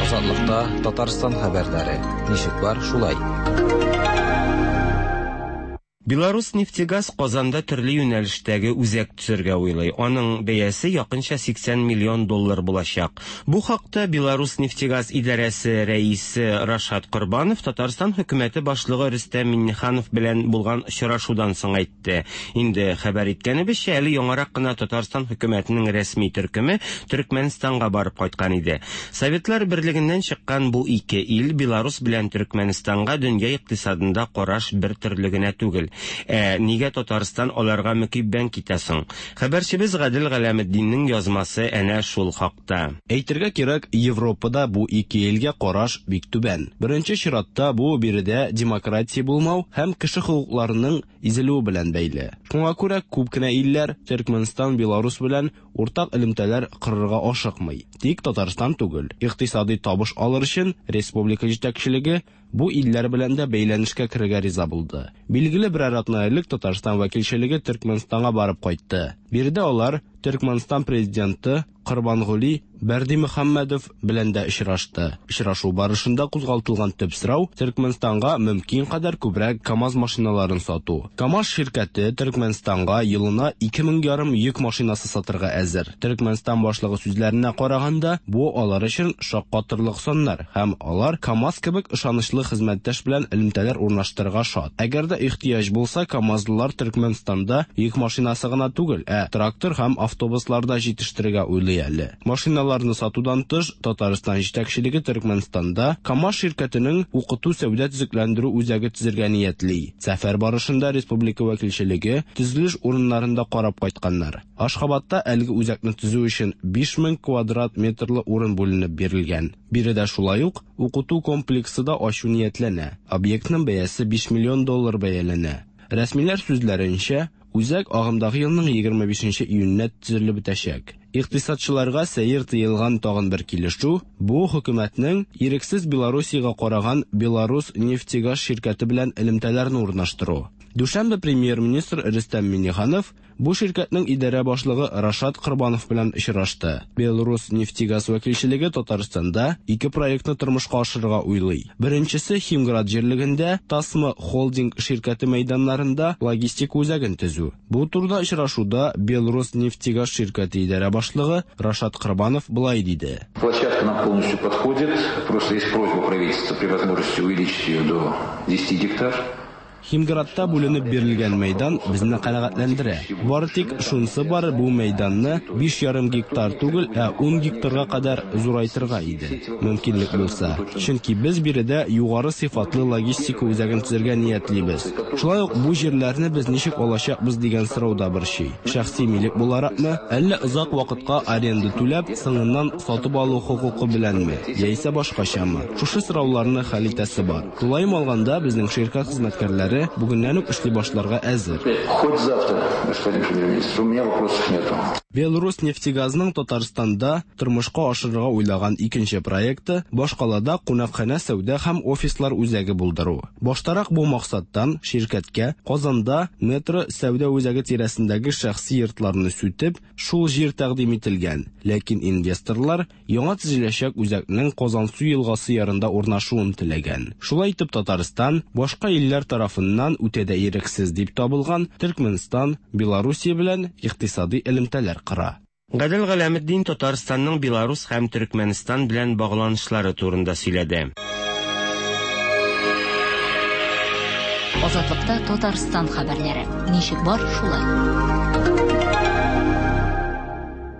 S9: Азатлыкта Татарстан хәбәрләре. Ничек бар, шулай.
S10: Беларус-нефтегаз Казанда төрле юнәлештәге үзәк төзергә уйлый. Аның бәясе якынча 80 миллион доллар булачак. Бу хакта Беларус-нефтегаз идарәсе рәисе Рашат Корбанов Татарстан хөкүмәте башлыгы Рөстәм Миңнеханов белән булган очрашудан соң әйтте. Инде хәбәр иткәнебезчә, әле яңарак кына Татарстан хөкүмәтенең рәсми төркеме Төркмәнстанга барып кайткан иде. Советлар Берлегеннән чыккан бу ике ил, Беларус белән Төркмәнстанга дөнья икътисадында караш бер төрле генә түгел. Ә нигә Татарстан аларга мөкиббән китә соң? Хәбәрчебез Гадел Галәметдиннең язмасы әнә шул хакта.
S16: Әйтергә кирәк, Европада бу ике илгә караш бик түбән. Беренче чиратта бу биредә демократия булмау һәм кеше хокукларының изелүе белән бәйле. Шуңа күрә күп кенә илләр Төркмәнстан, Беларус белән уртак элемтәләр корырга ашыкмый. Тик Татарстан түгел. Икътисадый табыш алыр өчен республика җитәкчелеге бу илләр белән дә бәйләнешкә керергә риза булды. Билгеле, берәр атна элек Татарстан вәкилчелеге Төркмәнстанга барып кайтты. Биредә алар Төркмәнстан президенты Корбангули Бәрдимөхәммәдов белән дә очрашты. Очрашу барышында кузгалтылган төп сорау, Төркмәнстанга мөмкин кадәр күбрәк КАМАЗ машиналарын сату. КАМАЗ ширкәте Төркмәнстанга елына 2 мең ярым йөк машинасы сатырга әзер. Төркмәнстан башлыгы сүзләренә караганда, бу алар өчен шаккатырлык саннар һәм алар КАМАЗ кебек ышанычлы хезмәттәш белән элемтәләр урнаштырырга шат. Әгәр дә ихтыяҗ булса, КАМАЗлылар Төркмәнстанда йөк машинасы гына түгел, ә трактор һәм автобуслар да җитештерергә уйлый әле. Машиналарны сатудан тыш, Татарстан җитәкчелеге Төркмәнстанда КАМАЗ ширкәтенең укыту-сәүдә төзекләндерү үзәге төзергә ниятли. Сәфәр барышында республика вәкилчелеге төзелеш урыннарын да карап кайтканнар. Ашхабадта әлеге үзәкне төзү өчен 5000 квадрат метрлы урын бүленеп бирелгән. Биредә шулай ук укыту комплексы да ачу ниятләнә. Объектның бәясе 5 миллион доллар бәяләнә. Рәсмиләр сүзләренчә, үзәк агымдагы елның 25 июненә төзелеп бетәчәк. Икътисадчыларга сәер тоелган тагын бер килешү бу хөкүмәтнең ирексез Белоруссиягә караган Беларус нефтегаз ширкәте белән элемтәләрне урнаштыру. Дүшәмбе премьер-министр Рөстәм Миңнеханов бу ширкәтнең идарә башлыгы Рашат Корбанов белән очрашты. Беларус нефтегаз вәкилчелеге Татарстанда ике проектны тормышка ашырырга уйлый. Беренчесе Химград җирлегендә Тасма холдинг ширкәте мәйданнарында логистика үзәген төзү. Бу турыда очрашуда Беларус нефтегаз ширкәте идарә башлыгы Рашат Корбанов болай диде.
S17: Площадка нам полностью подходит. Просто есть просьба правительства при возможности увеличить ее до 10 гектар.
S16: Химградта бүленеп бирелгән мәйдан безне канәгатьләндерә. Бары тик шунысы бар, бу мәйданны 5,5 гектар түгел, ә 10 гектарга кадәр зурайтырга иде, мөмкинлек булса. Чөнки без биредә югары сыйфатлы логистика үзәген төзергә ниятлибез. Шулай ук бу җирләрне без ничек алачакбыз дигән сорау да борчый. Шәхси милек буларакмы, әллә озак вакытка аренда түләп, соңыннан сатып алу хокукы беләнме, яисә башкачамы? Шушы сорауларны хәл итәсе бар. Тулаем алганда, безнең ширкәт хезмәткәрләре бүгеннән үк эшли башларга әзер.
S17: Хоть завтра, господин премьер-министр, у меня вопросов нету.
S16: Беларус нефтегазның Татарстанда тормышка ашырырга уйлаган икенче проекты башкалада кунакханә, сәүдә һәм офислар үзәге булдыру. Баштарак бу максаттан ширкәткә Казанда метро сәүдә үзәге тирәсендәге шәхси йортларны сүтеп, шул җир тәкъдим ителгән. Ләкин инвесторлар яңа төзеләчәк үзәкнең Казансу елгасы ярында урнашуын теләгән. Шулай итеп Татарстан башка илләр тарафыннан үтә дә ирексез дип табылган Төркмәнстан, Белоруссия белән икътисади элемтәләр кора.
S10: Гадел Галәметдин Татарстанның Беларус һәм Төркмәнстан белән багланышлары турында сөйләде.
S7: Азатлыкта Татарстан хәбәрләре. Ничек бар, шулай.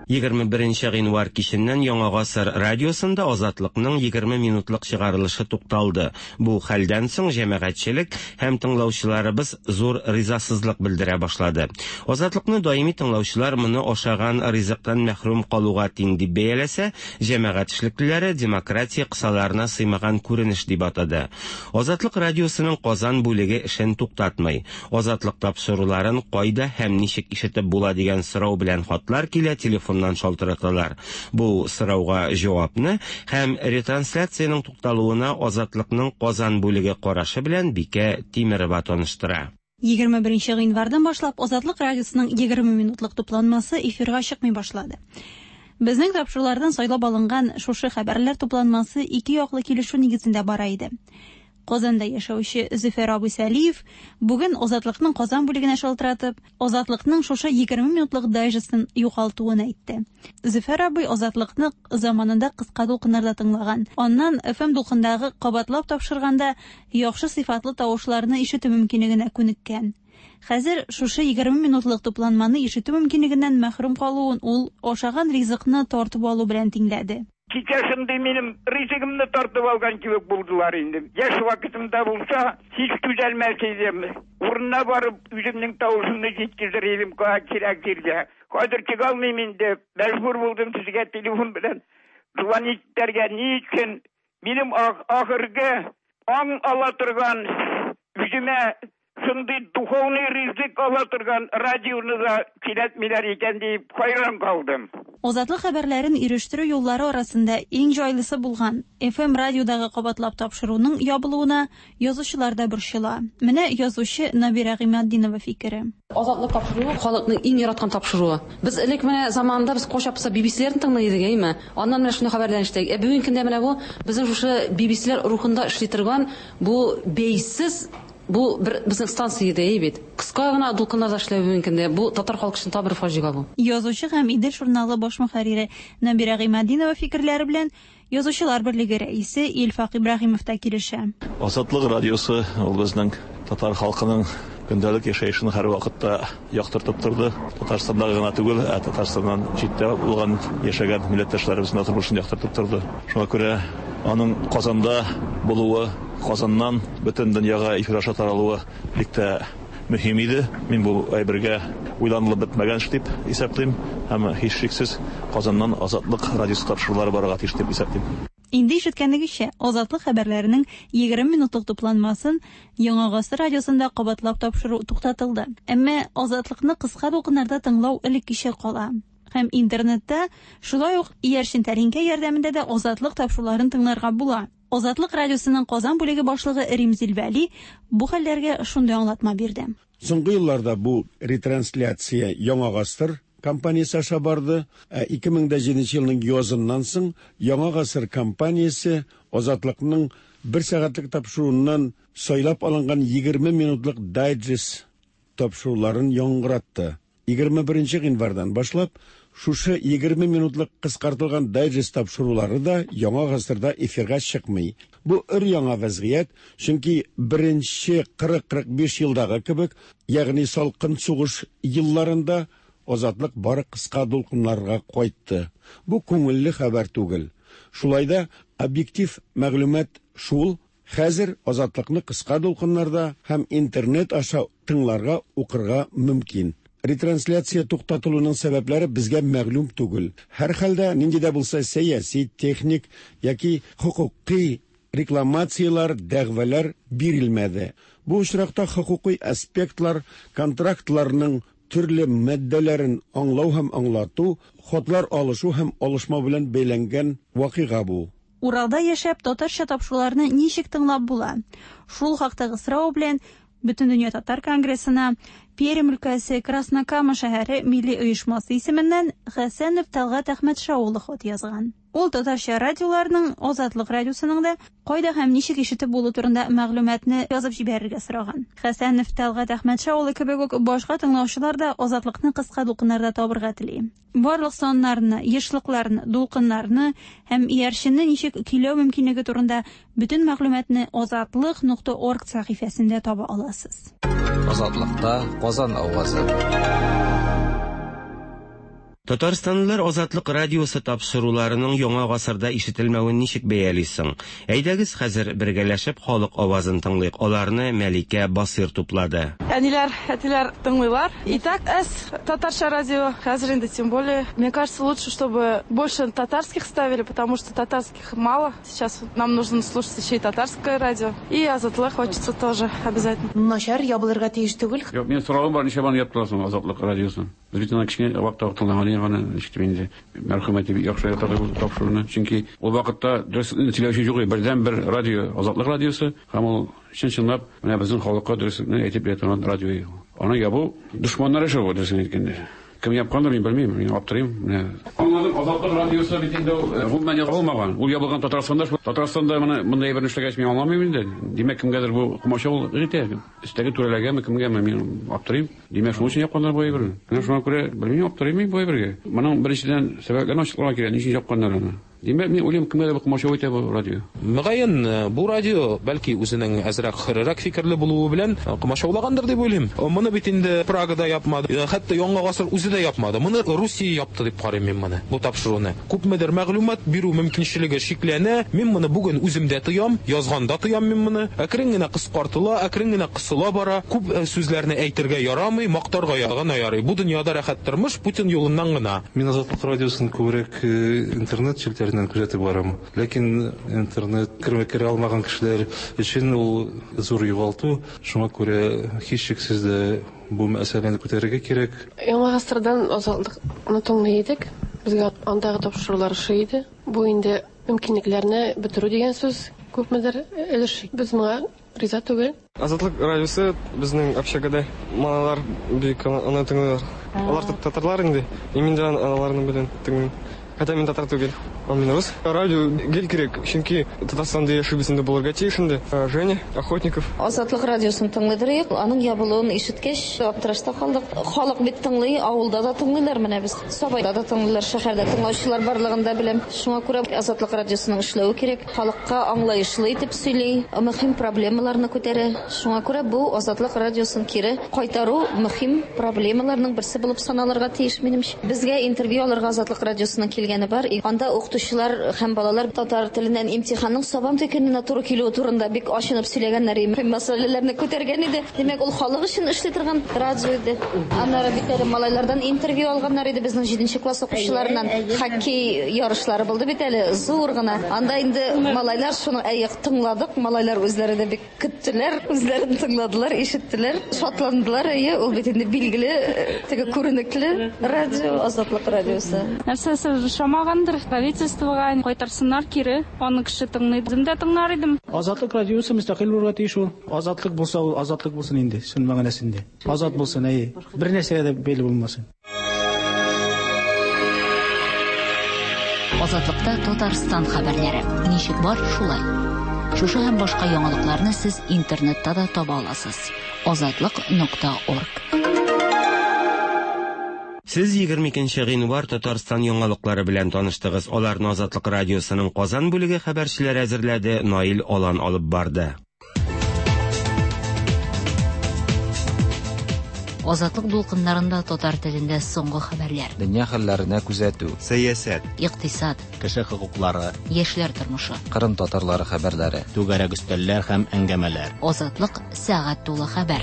S10: 21 гыйнвар киченнән Яңа Гасыр радиосында Азатлыкның 20 минутлык чыгарылышы тукталды. Бу хәлдән соң җәмәгатьчелек һәм тыңлаучыларыбыз зур ризасызлык белдерә башлады. Азатлыкны даими тыңлаучылар моны ашаган ризыктан мәхрүм калуга тиң дип бәяләсә, җәмәгать эшлеклеләре демократия кысаларына сыймаган күренеш дип атады. Азатлык радиосының Казан бүлеге эшен туктатмый. Азатлык тапшыруларын кайда һәм ничек ишетеп була дигән сорау белән хатлар килә, телефоннан шалтыраталар. Бу сорауга җавапны һәм ретрансляциянең тукталуына Азатлыкның Казан бүлеге карашы белән Бикә Тимерова таныштыра.
S18: 21 гыйнвардан башлап Азатлык радиосының 20 минутлык тупланмасы эфирга чыкмый башлады. Безнең тапшырулардан сайлап алынган шушы хәбәрләр тупланмасы ике яклы килешү нигезендә бара иде. Казанда яшәүче Зөфәр абый Сәлиев бүген Азатлыкның Казан бүлегенә шалтыратып, Азатлыкның шушы 20 минутлык дайджестын югалтуын әйтте. Зөфәр абый Азатлыкны заманында кыска дулкыннарда тыңлаган. Аннан FM дулкындагы кабатлап тапшырганда яхшы сыйфатлы тавышларны ишетү мөмкинлегенә күнеккән. Хәзер шушы 20 минутлык тупланманы ишетү мөмкинлегеннән мәхрүм калуын ул ашаган ризыкны тартып алу белән тиңләде.
S19: Кичә шундый минем ризыгымны тартып алган кебек булдылар инде. Яшь вакытымда булса, һич түзәлмәс идем. Урынына барып, үземнең тавышымны җиткезер идем кирәк җиргә. Хәзер чыга алмыйм инде. Мәҗбүр булдым сезгә телефон белән звонить итәргә. Ни өчен? Минем ахыргы аң ала торган үземә шундый духовный ризык ала торган радионы да сөйләтмиләр икән диеп хайран калдым.
S18: Азатлык хәбәрләрен ирештерү юллары арасында иң җайлысы булган FM радиодагы кабатлап тапшыруның ябылуына язучылар да борчыла. Менә язучы Набирә Гыйматдинова фикере.
S20: Азатлык тапшыруы халыкның иң яраткан тапшыруы. Без элек менә заманында без кайчак булса BBC-ләрне тыңлый идек, әйме? Аннан менә шундый хәбәрләрне ишетәк. Ә бүгенге көндә менә бу безнең шушы BBC-ләр рухында эшли торган бу бәйсез бу бер безнең станция иде, әй бит. Кыска гына дулкыннарда эшләү бүгенге көндә бу татар халкы өчен тагы бер фаҗига бу.
S18: Язучы һәм Идел журналы баш мөхәррире Нәбирә Гыйматдинова фикерләре белән Язучылар берлеге рәисе Илфак Ибраһимов та килешә.
S21: Азатлык радиосы ул безнең татар халкының көндәлек яшәешен һәрвакытта яктыртып торды. Татарстанда гына түгел, ә Татарстаннан читтә булган яшәгән милләттәшләребезнең тормышын яктыртып торды. Шуңа күрә аның Казанда булуы, Казаннан бөтен дөньяга эфир аша таралуы бик тә мөһим иде. Мин бу әйбергә уйланылып бетмәгән эш дип исәплим һәм һичшиксез Казаннан Азатлык радиосы тапшырулары барырга тиеш дип исәплим.
S18: Инде ишеткәнегезчә, Азатлык хәбәрләренең 20 минутлык тупланмасын Яңа гасыр радиосында кабатлап тапшыру туктатылды. Әмма Азатлыкны кыска дулкыннарда тыңлау элеккечә кала. Һәм интернетта шулай ук иярчен тәлинкә ярдәмендә дә Азатлык тапшыруларын тыңларга була. Азатлык радиосының Казан бүлеге башлыгы Римзил Вәли бу хәлләргә шундый аңлатма бирде.
S22: Соңгы елларда бу ретрансляция Яңа гасыр компаниясе аша барды. Ә 2007 елның языннан соң Яңа гасыр компаниясе Азатлыкның бер сәгатьлек тапшыруыннан сайлап алынган 20 минутлык дайджест тапшыруларын яңгыратты. 21 гыйнвардан башлап шушы 20 минутлык кыскартылган дайджест тапшырулары да Яңа гасырда эфирга чыкмый. Бу өр-яңа вәзгыять, чөнки беренче 40-45 елдагы кебек, ягъни салкын сугыш елларында Азатлык бары кыска дулкыннарга кайтты. Бу күңелле хәбәр түгел. Шулай да объектив мәгълүмат шул, хәзер Азатлыкны кыска дулкыннарда һәм интернет аша тыңларга, укырга мөмкин. Ретрансляция туктатылуның сәбәпләре безгә мәгълүм түгел. Һәрхәлдә нинди дә булса сәяси, техник яки хокукый рекламацияләр, дәгъвалар бирелмәде. Бу очракта хокукый аспектлар, контрактларның төрле маддәләрен аңлау һәм аңлату, хатлар алышу һәм алышмау белән бәйләнгән вакыйга бу.
S18: Уралда яшәп, татарча тапшыруларны ничек тыңлап була? Шул хактагы сорау белән Бөтендөнья татар конгрессына Пермь өлкәсе Краснокама шәһәре милли оешмасы исеменнән Хәсәнов Тәлгать Әхмәтша улы хат язган. Ул татарча радиоларның, Азатлык радиосының да кайда һәм ничек ишетеп булу турында мәгълүматны язып җибәрергә сораган. Хәсәнов Тәлгать Әхмәтша улы кебек үк башка тыңлаучылар да Азатлыкны кыска дулкыннарда табырга тели. Барлык саннарны, ешлыкларны, дулкыннарны һәм иярченне ничек көйләү мөмкинлеге турында бөтен мәгълүматны азатлык.орг сәхифәсендә таба аласыз.
S9: Азатлыкта Казан авазы.
S10: Татарстанлылар Азатлык радиосы тапшыруларының яңа гасырда ишетелмәвен ничек бәялисең? Әйдәгез хәзер бергәләшеп халык авазын тыңлыйк. Аларны Мәликә Басыр туплады.
S23: Әниләр, әтиләр тыңлыйлар. И так әз татарча радио, хәзер инде тем более. Мне кажется, лучше, чтобы больше татарских ставили, потому что татарских мало. Сейчас нам нужно слушать еще и татарское радио. И Азатлык хочется тоже обязательно.
S24: Начар ябылырга тиеш түгел.
S25: Юк, минем соравым бар, ничә аны яптылар Азатлык радиосын? Без бит аны кечкенә вакытта тыңлаган идек аны, ничек дип инде мәрхүм әти бик яхшы ярата бу тапшыруны. Чөнки ул вакытта дөреслекне сөйләүче юк иде. Бердәнбер радио Азатлык радиосы һәм ул чын-чынлап менә безнең халыкка дөреслекне әйтеп бирә торган радио иде. Аны ябу дошманнар эше бу, дөресен әйткәндә. Кем япкандыр, мин белмим, мин аптырыйм. Менә. Аңладым. Безнең Азатлык радиосы бит инде ул гомумән ябылмаган. Ул ябылган Татарстанда. Татарстанда моны мондай әйберне эшләгәч мин аңламыйм инде. Димәк, кемгәдер бу комачаулык итә. Өстәге түрәләргәме, кемгәме, мин аптырыйм. Димәк, шуның өчен япканнар бу әйберне. Менә шуңа күрә белмим, аптырыйм мин бу әйбергә. Моның беренчедән сәбәпләрен ачыкларга кирәк, ни өчен япканнар аны. Димәк, мин уйлыйм, кемгәдер бу комачау итә бу радио.
S3: Мөгаен, бу радио, бәлки, үзенең әзрәк хөррерәк фикерле булуы белән комачаулагандыр дип уйлыйм. Моны бит инде Прага да япмады, хәтта Яңа гасыр үзе дә япмады. Моны Русия япты дип карыйм мин моны, бу тапшыруны. Күпмедер мәгълүмат бирү мөмкинчелеге чикләнә. Мин моны бүген үзем дә тоям, язганда тоям мин моны. Әкрен генә кыскартыла, әкрен генә кысыла бара. Күп сүзләрне әйтергә ярамый, мактарга гына ярый. Бу дөньяда рәхәт тормыш Путин юлыннан гына.
S4: Мин Азатлык радиосын күбрәк интернет челтәреннән күзәтеп барам. Ләкин интернет кермә керә алмаган кешеләр өчен ул зур югалту. Шуңа күрә һичшиксез дә бу мәсьәләне күтәрергә кирәк.
S5: Яңа гасырдан Азатлыкны тыңлый идек. Безгә андагы тапшырулар ошый иде. Бу инде мөмкинлекләрне бетерү дигән сүз, күпмедер өлеш. Без моңа риза түгел.
S6: Азатлык радиосы безнең общагада малайлар бик аны тыңлыйлар. Алар татарлар инде. И мин дә аларны белән тыңлыйм. Хотя мин татар түгел, а мин рус. Радио гел кирәк, чөнки Татарстанда яшибез инде булырга тиеш инде. Женя Охотников.
S8: Азатлык радиосын тыңлыйдыр идек. Аның ябылуын ишеткәч, аптырашта калдык. Халык бит тыңлый, авылда да тыңлыйлар менә без. Сабайда да тыңлыйлар, шәһәрдә тыңлаучылар барлыгын да беләм. Шуңа күрә Азатлык радиосының эшләве кирәк. Халыкка аңлаешлы итеп сөйли, мөһим проблемаларны күтәрә. Шуңа күрә бу Азатлык радиосын кире кайтару мөһим проблемаларның берсе булып саналырга тиеш, минемчә. Безгә интервью алырга Азатлык радиосының килгәне бар. Анда укытучылар һәм балалар татар теленнән имтиханның Сабантуй көненә туры килүе турында бик ачынып сөйләгәннәр, мөһим мәсьәләләрне күтәргән иде. Димәк, ул халык өчен эшли торган радио иде. Аннары бит әле малайлардан интервью алганнар иде, безнең 7 класс укучыларыннан. Хоккей ярышлары булды бит әле, зур гына. Анда инде малайлар шуны әйе тыңладык, малайлар үзләре дә бик көттеләр, үзләрен тыңладылар, ишеттеләр, шатландылар. Әйе, ул бит инде билгеле, теге күренекле радио, Азатлык радиосы.
S26: Нәрсәсе ошамагандыр, правительствога кайтарсыннар кире, аны кеше тыңлый, үзем дә тыңлар идем.
S27: Азатлык радиосы мөстәкыйль булырга тиеш ул. Азатлык булса, ул азатлык булсын инде, чын мәгънәсендә. Азат булсын, әйе. Бер нәрсәгә дә бәйле булмасын.
S7: Азатлыкта Татарстан хәбәрләре. Ничек бар, шулай. Шушы һәм башка яңалыкларны сез интернетта да таба аласыз. Азатлык.орг.
S10: Сез 22 гыйнвар Татарстан яңалыклары белән таныштыгыз. Аларны Азатлык радиосының Казан бүлеге хәбәрчеләре әзерләде, Наил Алан алып барды.
S7: Азатлык дулкыннарында татар телендә соңгы хәбәрләр.
S9: Дөнья хәлләренә күзәтү.
S2: Сәясәт.
S7: Икътисад.
S1: Кеше хокуклары.
S7: Яшьләр тормышы.
S9: Кырым татарлары хәбәрләре.
S1: Түгәрәк өстәлләр һәм әңгәмәләр.
S7: Азатлык сәгать тулы хәбәр.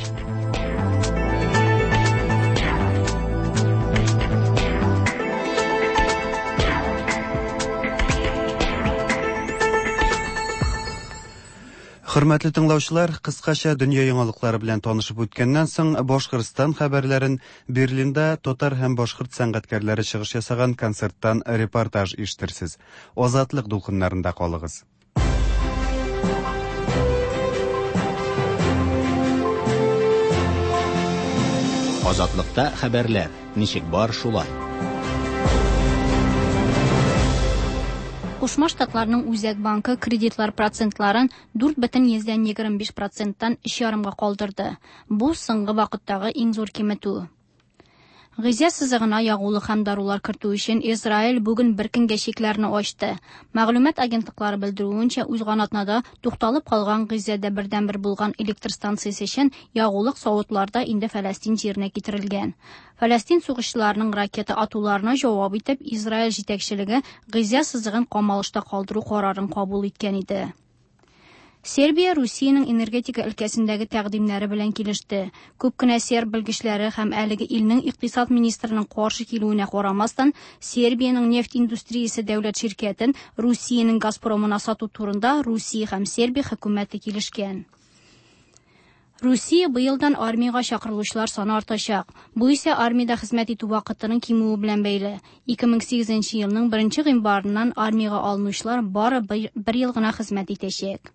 S2: Хөрмәтле тыңлаучылар, кыскача дөнья яңалыклары белән танышып үткәннән соң, Башкортстан хәбәрләрен Берлинда татар һәм башкорт сәнгатькәрләре чыгыш ясаган концерттан репортаж ишетерсез. Азатлык дулкыннарында калыгыз.
S1: Азатлыкта хәбәрләр. Ничек бар, шулай.
S28: Кушма Штатларның Үзәк банкы кредитлар процентларын 4,25 проценттан 3,5-га калдырды. Бу соңгы вакыттагы иң зур киметү. Гыйзә сызыгына ягулык һәм дарулар кертү өчен Израиль бүген бер көнгә чикләрне ачты. Мәгълүмат агентлыклары белдерүенчә, узган атнада тукталып калган Гыйзәдә бердәнбер булган электр станциясе өчен ягулык савытларда инде Фәләстин җиренә китерелгән. Фәләстин сугышчыларының ракета атуларына җавап итеп, Израиль җитәкчелеге Гыйзә сызыгын камалышта калдыру карарын кабул иткән иде. Сербия Русиянең энергетика өлкәсендәге тәкъдимнәре белән килеште. Күп кенә серб белгечләре һәм әлеге илнең икътисад министрының каршы килүенә карамастан, Сербиянең нефть индустриясе дәүләт ширкәтен Русиянең Газпромына сату турында Русия һәм Сербия хөкүмәте килешкән. Русия быелдан армиягә чакырылучылар саны артачак. Бу исә армиядә хезмәт итү вакытының кимүе белән бәйле. 2008 елның 1 гыйнварыннан армиягә алынучылар бары бер ел гына хезмәт итәчәк.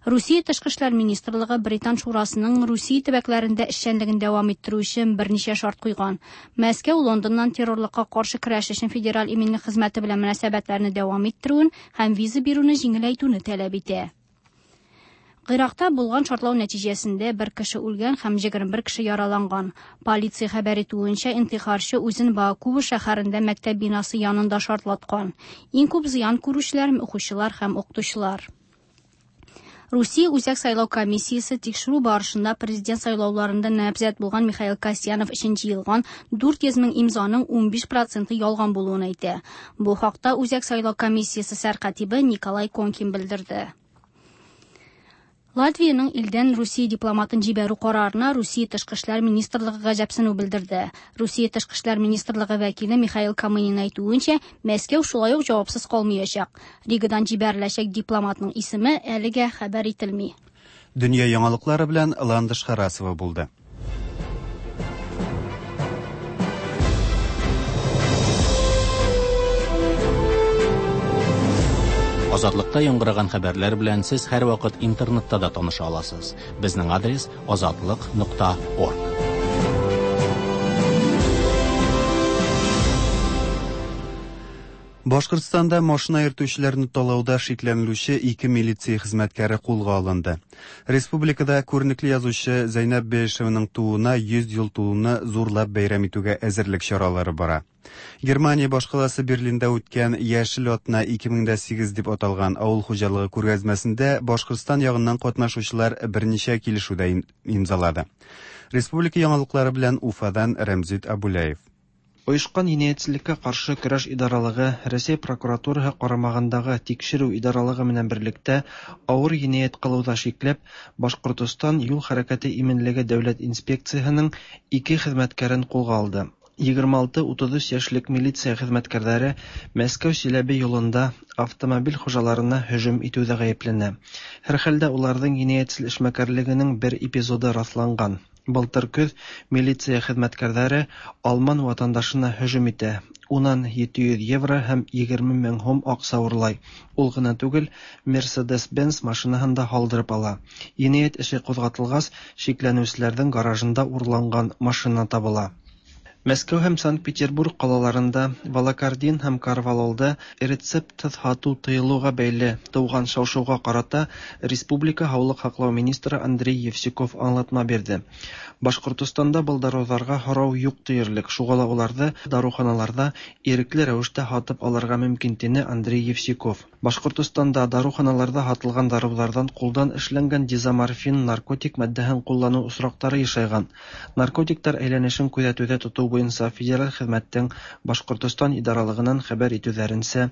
S28: Русия Тышкы эшләр министрлыгы Британ шурасының Русия төбәкләрендә эшчәнлеген дәвам иттерү өчен берничә шарт куйган. Мәскәү Лондоннан террорлыкка каршы көрәш өчен Федераль иминлек хезмәте белән мөнәсәбәтләрне дәвам иттерүен һәм виза бирүне җиңеләйтүне таләп итә. Гыйракта булган шартлау нәтиҗәсендә бер кеше үлгән һәм 21 кеше яраланган. Полиция хәбәр итүенчә, интихарчы үзен Баакуба шәһәрендә мәктәп бинасы янында шартлаткан. Иң күп зыян күрүчеләр укучылар һәм укытучылар. Русия Үзәк сайлау комиссиясе тикшерү барышында президент сайлауларында нәбзәт булган Михаил Касьянов өчен җыелган 400 мең имзаның 15 проценты ялган булуын әйтә. Бу хакта Үзәк сайлау комиссиясе сәркатибе Николай Конкин белдерде. Латвиянең илдән Русия дипломатын җибәрү карарына Русия тышкы эшләр министрлыгы гаҗәпсенү белдерде. Русия тышкы эшләр министрлыгы вәкиле Михаил Камынин әйтүенчә, Мәскәү шулай ук җавапсыз калмаячак. Ригадан җибәреләчәк дипломатның исеме әлегә хәбәр ителми.
S2: Дөнья яңалыклары белән Ландыш Харасова булды.
S1: Азатлыкта яңгыраган хәбәрләр белән сез һәрвакыт интернетта да таныша аласыз. Безнең адрес азатлык.орг.
S2: Башкортстанда машина йөртүчеләрне талауда шикләнелүче ике милиция хезмәткәре кулга алынды. Республикада күренекле язучы Зәйнәб Бәйшеваның тууына 100 ел тулуны зурлап бәйрәм итүгә әзерлек чаралары бара. Германия башкаласы Берлинда үткән Яшел атна 2008 дип аталган авыл хуҗалыгы күргәзмәсендә Башкортстан ягыннан катнашучылар берничә килешү дә имзалады. Республика яңалыклары белән Уфадан Рәмзит Абуляев.
S11: Оешкан җинаятьчелеккә каршы көрәш идаралыгы Рәсәй прокуратураһы карамагындагы Тикшерү идаралыгы белән берлектә авыр җинаять кылуда шикләп, Башкортостан юл хәрәкәте иминлеге дәүләт инспекцияһенең ике хезмәткәрен кулга алды. 26-33 яшьлек милиция хезмәткәрләре Мәскәү-Силәбе юлында автомобиль хуҗаларына һөҗүм итүдә гаепләнә. Һәрхәлдә уларның җинаятьчел эшмәкәрлегенең бер эпизоды расланган. Былтыр көз милиция хезмәткәрләре алман ватандашына һөҗүм итә. Унан 700 евро һәм 20 мең һум акча урлай. Ул гына түгел, Mercedes-Benz машинаһын да һалдырып ала. Җинаять эше кузгатылгач, шикләнүчеләрнең гаражында урланган машина табыла. Мәскәү һәм Санкт-Петербург калаларында валокордин һәм корвалолда рецептсыз һату тыелуга бәйле туган шау-шуга карата республика һаулык һаклау министры Андрей Евсюков аңлатма бирде. Башкортостанда был даруҙарға һорау юҡ тиерлек, шуға ла уларҙы дарыуханаларҙа ирекле рәүештә һатып алырға мөмкин, тине Андрей Евсюков. Башкортостанда дарыуханаларҙа һатылған дарыуҙарҙан ҡулдан эшләнгән дезоморфин наркотик матдәһен ҡулланыу осраҡтары йышайған. Наркотиктар әйләнешен күҙәтеүҙә тотоу буйынса федераль хеҙмәттең Башкортостан идаралығынан хәбәр итеүҙәренсә,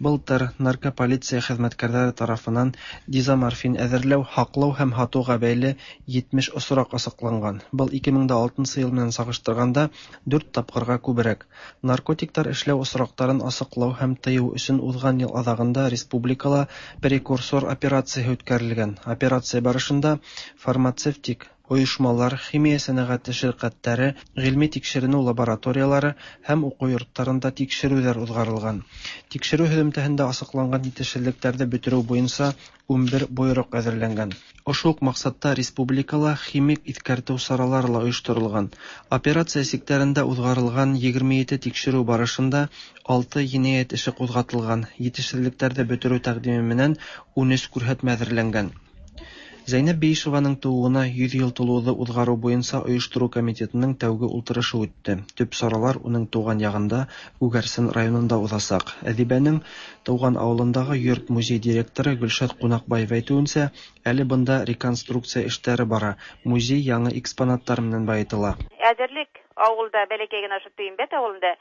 S11: былтыр наркополиция хеҙмәткәрҙәре тарафынан дезоморфин әҙерләү, һаҡлау һәм һатыуға бәйле 70 осраҡ асыҡланған. Был 2006 йыл менән сағыштырғанда 4 тапҡырға күберәк. Наркотиктар эшләү осраҡтарын асыҡлау һәм тыйыу өсөн уҙған йыл аҙағында республикала прекурсор операцияһы үткәрелгән. Операция барышында фармацевтик ойошмалар, химия сәнәғәте ширҡәттәре, ғилми тикшеренеү лабораториялары һәм уҡыу йорттарында тикшереүҙәр уҙғарылған. Тикшереү һөҙөмтәһендә асыҡланған етешһеҙлектәрҙе бөтөрөү буйынса 11 бойороҡ әҙерләнгән. Ошо уҡ маҡсатта республикала химик иҫкәртеү саралары ла ойошторолған. Операция сиктәрендә уҙғарылған 27 тикшереү барышында 6 енәйәт эше ҡуҙғатылған, етешһеҙлектәрҙе бөтөрөү тәҡдиме менән 13 күрһәтмә әҙерләнгән. Зәйнәб Бейишеваның тыуыуына 100 йыл тулыуҙы уҙғарыу буйынса ойоштороу комитетының тәүге ултырышы үтте. Төп саралар уның тыуған яғында Күгәрсен районында уҙасаҡ. Әҙибәнең тыуған ауылындағы йорт музей директоры Гөлшат Ҡунаҡбаева әйтеүенсә, әле бында реконструкция эштәре бара. Музей яңы экспонаттар менән байытыла.
S12: Әҙерлек ауылда бәләкәй генә ошо Туйымбәт ауылында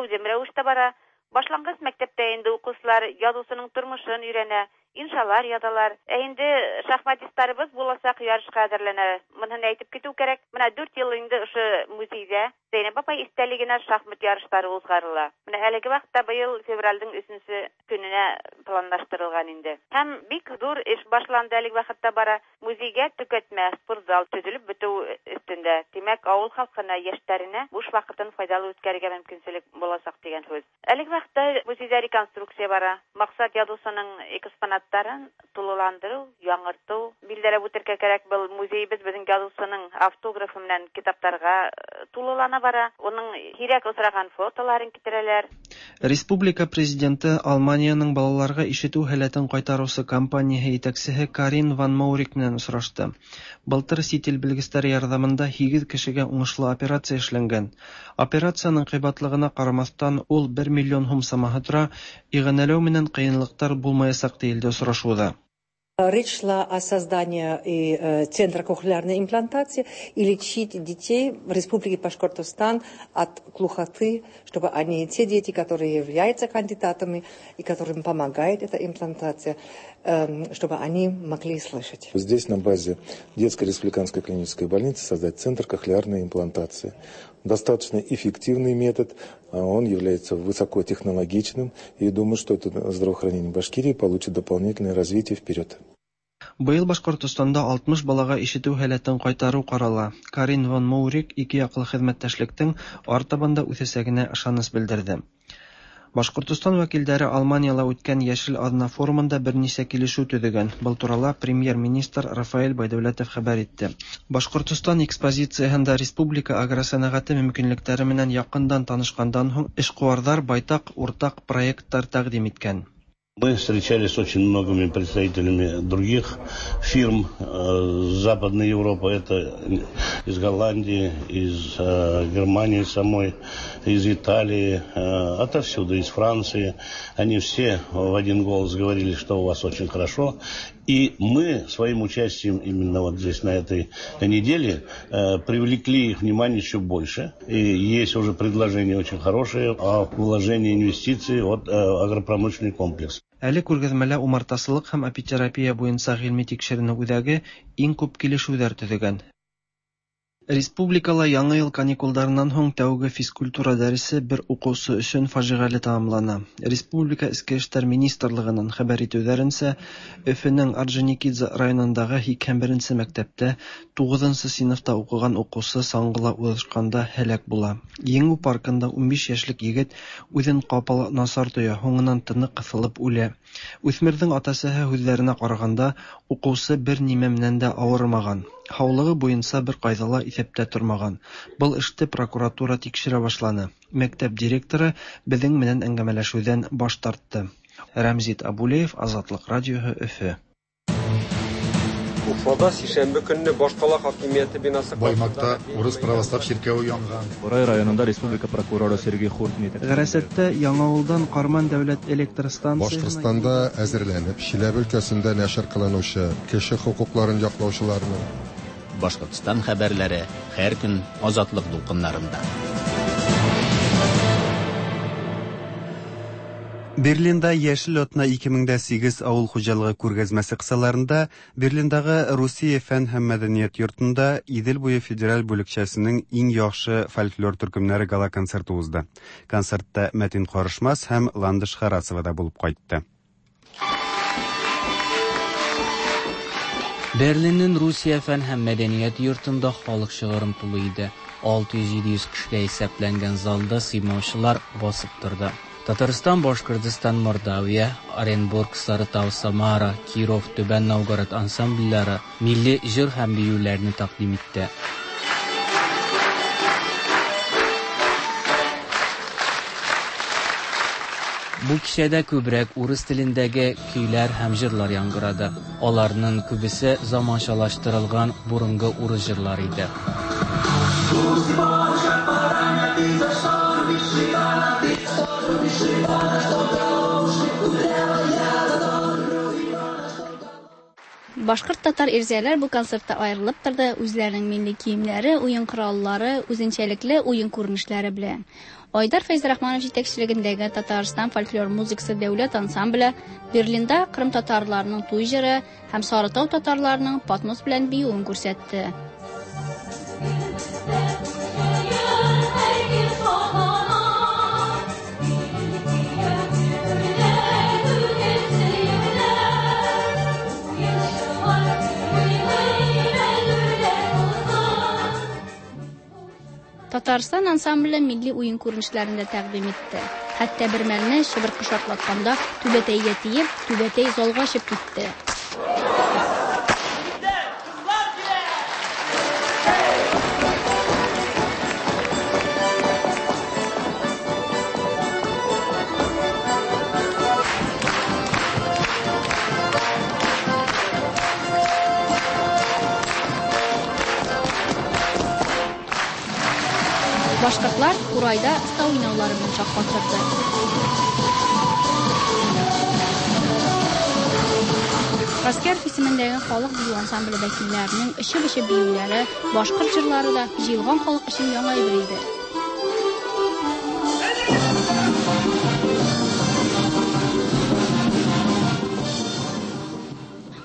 S12: әүҙем рәүештә бара. Башланғыс мәктәптә инде уҡыусылар яҙыусының тормошон өйрәнә, иншалар яҙалар. Ә инде шахматисттарыбыҙ буласаҡ ярышҡа әҙерләнә. Быныһын әйтеп китеү кәрәк. Бына 4 йыл инде ошо музейҙә Зәйнәб апай иҫтәлегенә шахмат ярыштары уҙғарыла. Бына әлеге ваҡытта быйыл февралдең 3-нсө көнөнә планлаштырылған инде. Һәм бик ҙур эш башланды әлеге ваҡытта бара. Музейгә төкәтмә, спортзал төҙөлөп бөтөү өҫтөндә. Димәк, авыл халкына, яшьләренә буш вакытын файдалы үткәрергә мөмкинчелек булачак дигән сүз. Әлеге вакытта музейда реконструкция бара. Максат язучының экспонаттарын тулыландыру, яңарту. Билгеләп үтәргә кирәк, был музейыбыз безнең язучының автографы белән китапларга тулылана бара. Уның һирәк очраган фотоларын китерәләр.
S11: Республика Президенты Алманиянең балаларга ишетү һәләтен кайтаручы компанияһе итәксеһе Карин ван Моурик менән очрашты. Былтыр сит ил белгесләре ярҙамында 8 кешегә уңышлы операция эшләнгән. Операциянең ҡыйбатлығына ҡарамаҫтан, ул 1 миллион һум самаһы тора, иғәнәләү менән ҡыйынлыҡтар булмаясаҡ тиелде осрашыуҙа.
S13: Речь шла о создании и центра кохлеарной имплантации и лечить детей в Республике Башкортостан от глухоты, чтобы они, те дети, которые являются кандидатами и которым помогает эта имплантация, чтобы они могли слышать.
S14: Здесь на базе детской республиканской клинической больницы создать центр кохлеарной имплантации. Достаточно эффективный метод, он является высокотехнологичным, и думаю, что это здравоохранение Башкирии получит дополнительное развитие вперед.
S11: Быел Башкортостанда 60 балага ишетү һәләтен кайтару карала. Карин ван Моурик ике яклы хеҙмәттәшлектең артабан да үҫәсәгенә ышаныс белдерҙе. Башкортостан вәкилдәре Алманияла үткән Йәшел аҙна форумында бер нисә килешеү төҙөгән. Был турала премьер-министр Рафаэль Байдәүләтов хәбәр итте. Башкортостан экспозицияһында республика агросәнәғәте мөмкинлектәре менән яҡындан танышҡандан һуң эшҡыуарҙар байтаҡ уртаҡ проекттар тәҡдим иткән.
S15: Мы встречались с очень многими представителями других фирм Западной Европы. Это из Голландии, из Германии самой, из Италии, отовсюду, из Франции. Они все в один голос говорили, что у вас очень хорошо. И мы своим участием именно вот здесь на этой неделе привлекли их внимание еще больше. И есть уже предложения очень хорошие о вложении инвестиций от агропромышленный комплекс.
S11: Әле күргәҙмәлә умартасылыҡ һәм апитерапия буйынса ғилми тикшеренеү үҙәге иң күп килешеүҙәр төҙөгән. Республикала яңы йыл каникулдарынан һуң тәүге физкультура дәресе бер уҡыусы өсөн фажиғәле тамамлана. Республика Эске эштәр министрлығынан хәбәр итеүҙәренсә, Өфөнөң Орджоникидзе районындағы 81-нсе мәктәптә 9-нсы синыфта уҡыған уҡыусы саңғыла уҙышҡанда һәләк була. Еңеү паркында 15 йәшлек егет үҙен ҡапыл насар тоя, һуңынан тыны ҡыҫылып үлә. Үҫмерҙең ата-әсәһе һүҙҙәренә ҡарағанда, уҡыусы бер нимә менән дә ауырымаған. Һаулығы буйынса бер ҡайҙа ла иҫәптә тормаған. Был эште прокуратура тикшерә башланы. Мәктәп директоры беҙҙең менән әңгәмәләшеүҙән баш тартты. Рәмзит Абулеев, Азатлыҡ радиоһы, Өфө.
S6: Уфада сишәмбе көнне башҡала хакимиәте бинасы
S16: Баймакта урыс православ чиркәве янган.
S17: Бурай районында республика прокуроры Сергей Хуртин
S11: Ғәрәсәттә Яңауылдан Ҡарман дәүләт электр станцияһына
S16: Башҡортостанда әҙерләнеп, Чиләбе өлкәсендә нәшер ҡылыныусы кеше хоҡуҡларын яҡлаусыларының
S1: Башҡортостан хәбәрләре һәр көн Азатлыҡ дулҡындарында.
S2: Берлинда Йәшел атна 2008 ауыл хужалығы күргәзмәсе кысаларында Берлиндағы Русия фән һәм мәдәният йортында Идел буе федераль бүлекчәсенең иң яхшы фольклор төркемнәре гала-концерты узды. Концертта Мәтин Ҡарышмас һәм Ландыш Харасова да булып ҡайтты.
S19: Берлиннең Русия фән һәм мәдәният йортында халык шыгрым тулы иде. 600-700 кешегә исәпләнгән залда сыймаучылар басып торды. Татарстан, Башкортостан, Мордовия, Оренбург, Сарытау, Самара, Киров, Түбән Новгород ансамбльләре милли җыр һәм биюләрне тәкъдим итте. Бу кичәдә күбрәк урыс телендәге көйләр һәм җырлар яңгырады. Аларның күбесе заманчалаштырылган борынгы урыс җырлары иде.
S28: Башҡорт татар ирзәләр бу концертта айырылып торды, үзләренең милли киемнәре, уен кораллары, үзенчәлекле уен күренешләре белән. Айдар Фәйзрахманов җитәкчелегендәге Татарстан фольклор музыкасы дәүләт ансамбле Берлинда Кырым татарларының туй җыры һәм Сарытау татарларының патмос белән биюен күрсәтте. Татарстан ансамбле милли уен күренешләрен дә тәкъдим итте. Хәтта бер мәлне чыбыркы шартлатканда түбәтәйгә тиеп, түбәтәй залга очып китте. Башкортлар курайда оста уйнаулары белән шаккатырды. Гаскәров исемендәге халык бию ансамбле вәкилләренең очып-очып биюләре, башкорт җырлары да җыелган халык өчен яңа әйбер иде.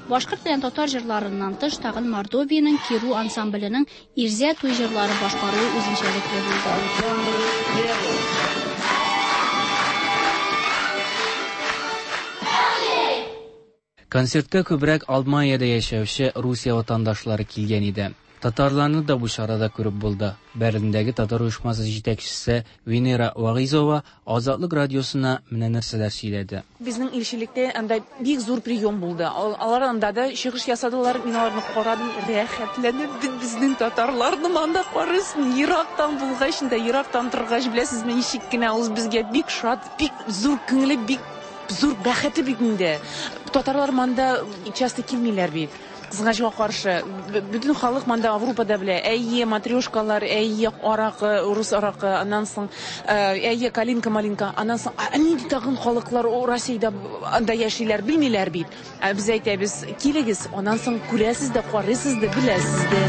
S28: Башкорт белән татар җырларыннан тыш тагын Мордовиянең Киру ансамбленең Ирзә туй җырлары башкаруы үзенчәлекле булды.
S19: Концертка күбрәк Алманиядә яшәүче Русия ватандашлары килгән иде. Татарларны да бу чарада күреп булды. Берлиндәге татар оешмасы җитәкчесе Венера Вагыйзова Азатлык радиосына менә нәрсәләр сөйләде.
S3: Безнең илчелектә анда бик зур прием булды. Алар анда да чыгыш ясадылар. Мин аларны карадым, рәхәтләнеп бит безнең татарларны анда карыйсың. Ерактан булгач да, ерактан торгач, беләсезме, ничек кенә ул безгә бик шат, бик зур күңеле, бик зур бәхете бит инде. Татарлар монда часто килмиләр бит. Кызганычка каршы, бөтен халык монда Аврупада белә. Әйе, матрешкалар, әйе, аракы, рус аракы, аннан соң, әйе, калинка-малинка, аннан соң, нинди тагын халыклар Россиядә анда яшиләр, белмиләр бит. Ә без әйтәбез, килегез, аннан соң күрәсез дә, карыйсыз да, беләсез дә.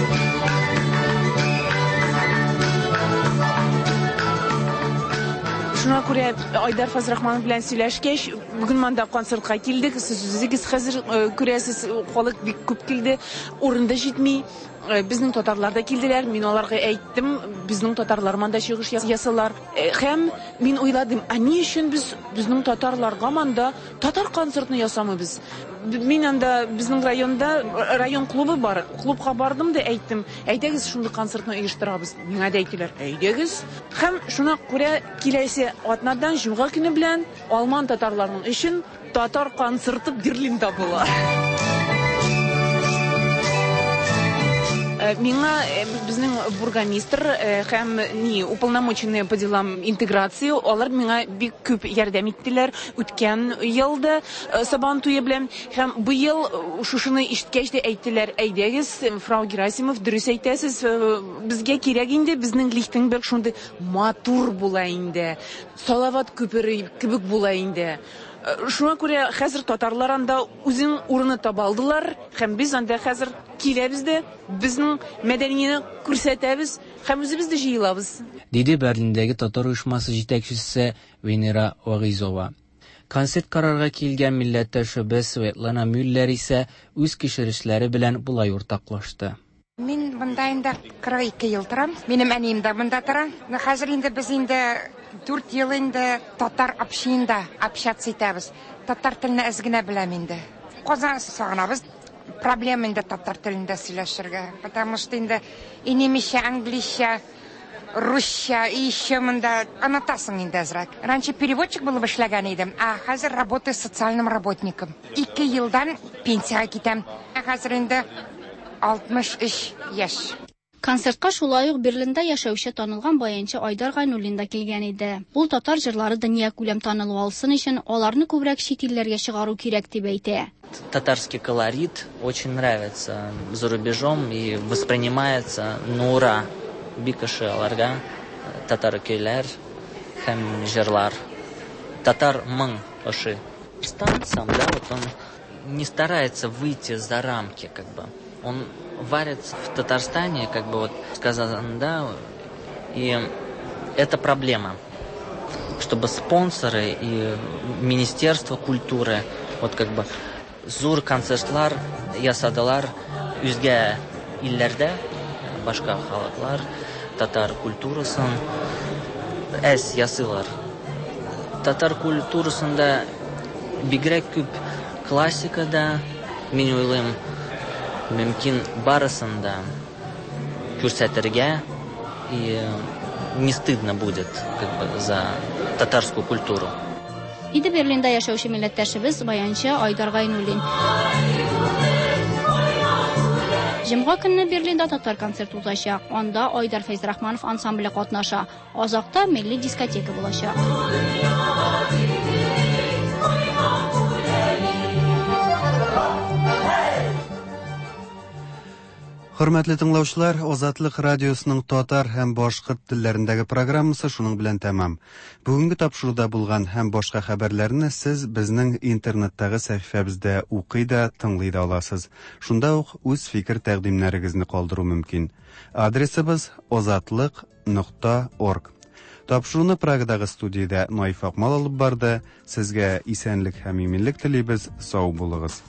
S3: Шуңа күрә Айдар Фазрахманов белән сөйләшкәч, бүген монда концертка килдек. Сез үзегез хәзер күрәсез, халык бик күп килде, урын да җитми. Безнең татарлар да килделәр. Мин аларга әйттем, безнең татарлар монда чыгыш ясалар. Һәм мин уйладым, ә ни өчен без безнең татарларга монда татар концертны ясамыйбыз? Мин анда безнең районда район клубы бар. Клубка бардым да әйттем, әйдәгез шундый концертны оештырабыз. Миңа да әйттеләр, әйдәгез. Һәм шуңа күрә киләсе атнадан җомга көне белән алман татарларының өчен татар концерты Берлинда була. Миңа безнең бургомистр һәм ни уполномоченные по делам интеграции, алар миңа бик күп ярдәм иттеләр үткән елда Сабан туе белән, һәм быел шушыны ишеткәч тә әйттеләр, әйдәгез, фрау Герасимов, дөрес әйтәсез, безгә кирәк инде, безнең Лихтенберг шундый матур була инде, Салават күпере кебек була инде. Шуңа күрә хәзер татарлар анда үзен урыны таба алдылар, һәм без анда хәзер киләбез дә, безнең мәдәнияне күрсәтәбез һәм үзебез дә җыелабыз.
S19: Диде Берлиндәге татар оешмасы җитәкчесе Венера Вагыйзова. Концерт карарга килгән милләттәшебез Светлана Мюллер исә үз кичерешләре белән болай уртаклашты.
S18: Мин монда инде 42 ел торам. Минем әнием дә монда тора. Хәзер инде без инде 4 ел инде татар общинында общаться итәбез. Татар телен әз генә беләм инде. Казан сагынабыз. Проблема инде татар телендә сөйләшергә, потому что инде и немецчә, английчә, русча, и еще монда онытасың инде әзрәк. Раньше переводчик булып эшләгән идем, а хәзер работаю социальным работником. 2 елдан пенсиягә китәм. Ә хәзер инде 63 яшь.
S28: Концертка шулай ук Берлинда яшәүче танылган баянчы Айдар Гайнуллин да килгән иде. Ул татар җырлары дөнья күләм танылу алсын өчен аларны күбрәк чит илләргә чыгару кирәк дип әйтә.
S20: Татарский колорит очень нравится за рубежом и воспринимается на ура. Бик ошый аларга татар көйләр һәм җырлар. Татар моң ошый. Стан сам, да, вот он не старается выйти за рамки, как бы. Он варится в Татарстане, как бы вот сказано, да, и это проблема, чтобы спонсоры и Министерство культуры, вот как бы зур концертлар ясадылар үзгә илләрдә, башка халыклар татар культурасын әз ясыйлар. Татар культурасында бигрәк күп классикада, мин уйлыйм, мөмкин барысын да күрсәтергә и не стыдно будет как бы за татарскую культуру.
S28: Диде Берлинда яшәүче милләттәшебез, баянчы Айдар Гайнуллин. Җомга көнне Берлинда татар концерты узачак. Анда Айдар Фәйзрахманов ансамбле катнаша. Азакта милли дискотека булачак.
S2: Хөрмәтле тыңлаучылар, Азатлык радиосының татар һәм башкорт телләрендәге программасы шуның белән тәмам. Бүгенге тапшыруда булган һәм башка хәбәрләрне сез безнең интернеттагы сәхифәбездә укый да, тыңлый да аласыз. Шунда ук үз фикер-тәкъдимнәрегезне калдыру мөмкин. Адресыбыз озатлык нокта орг. Тапшыруны Прагадагы студиядә Наиф Акмал алып барды. Сезгә исәнлек һәм иминлек телибез. Сау булыгыз.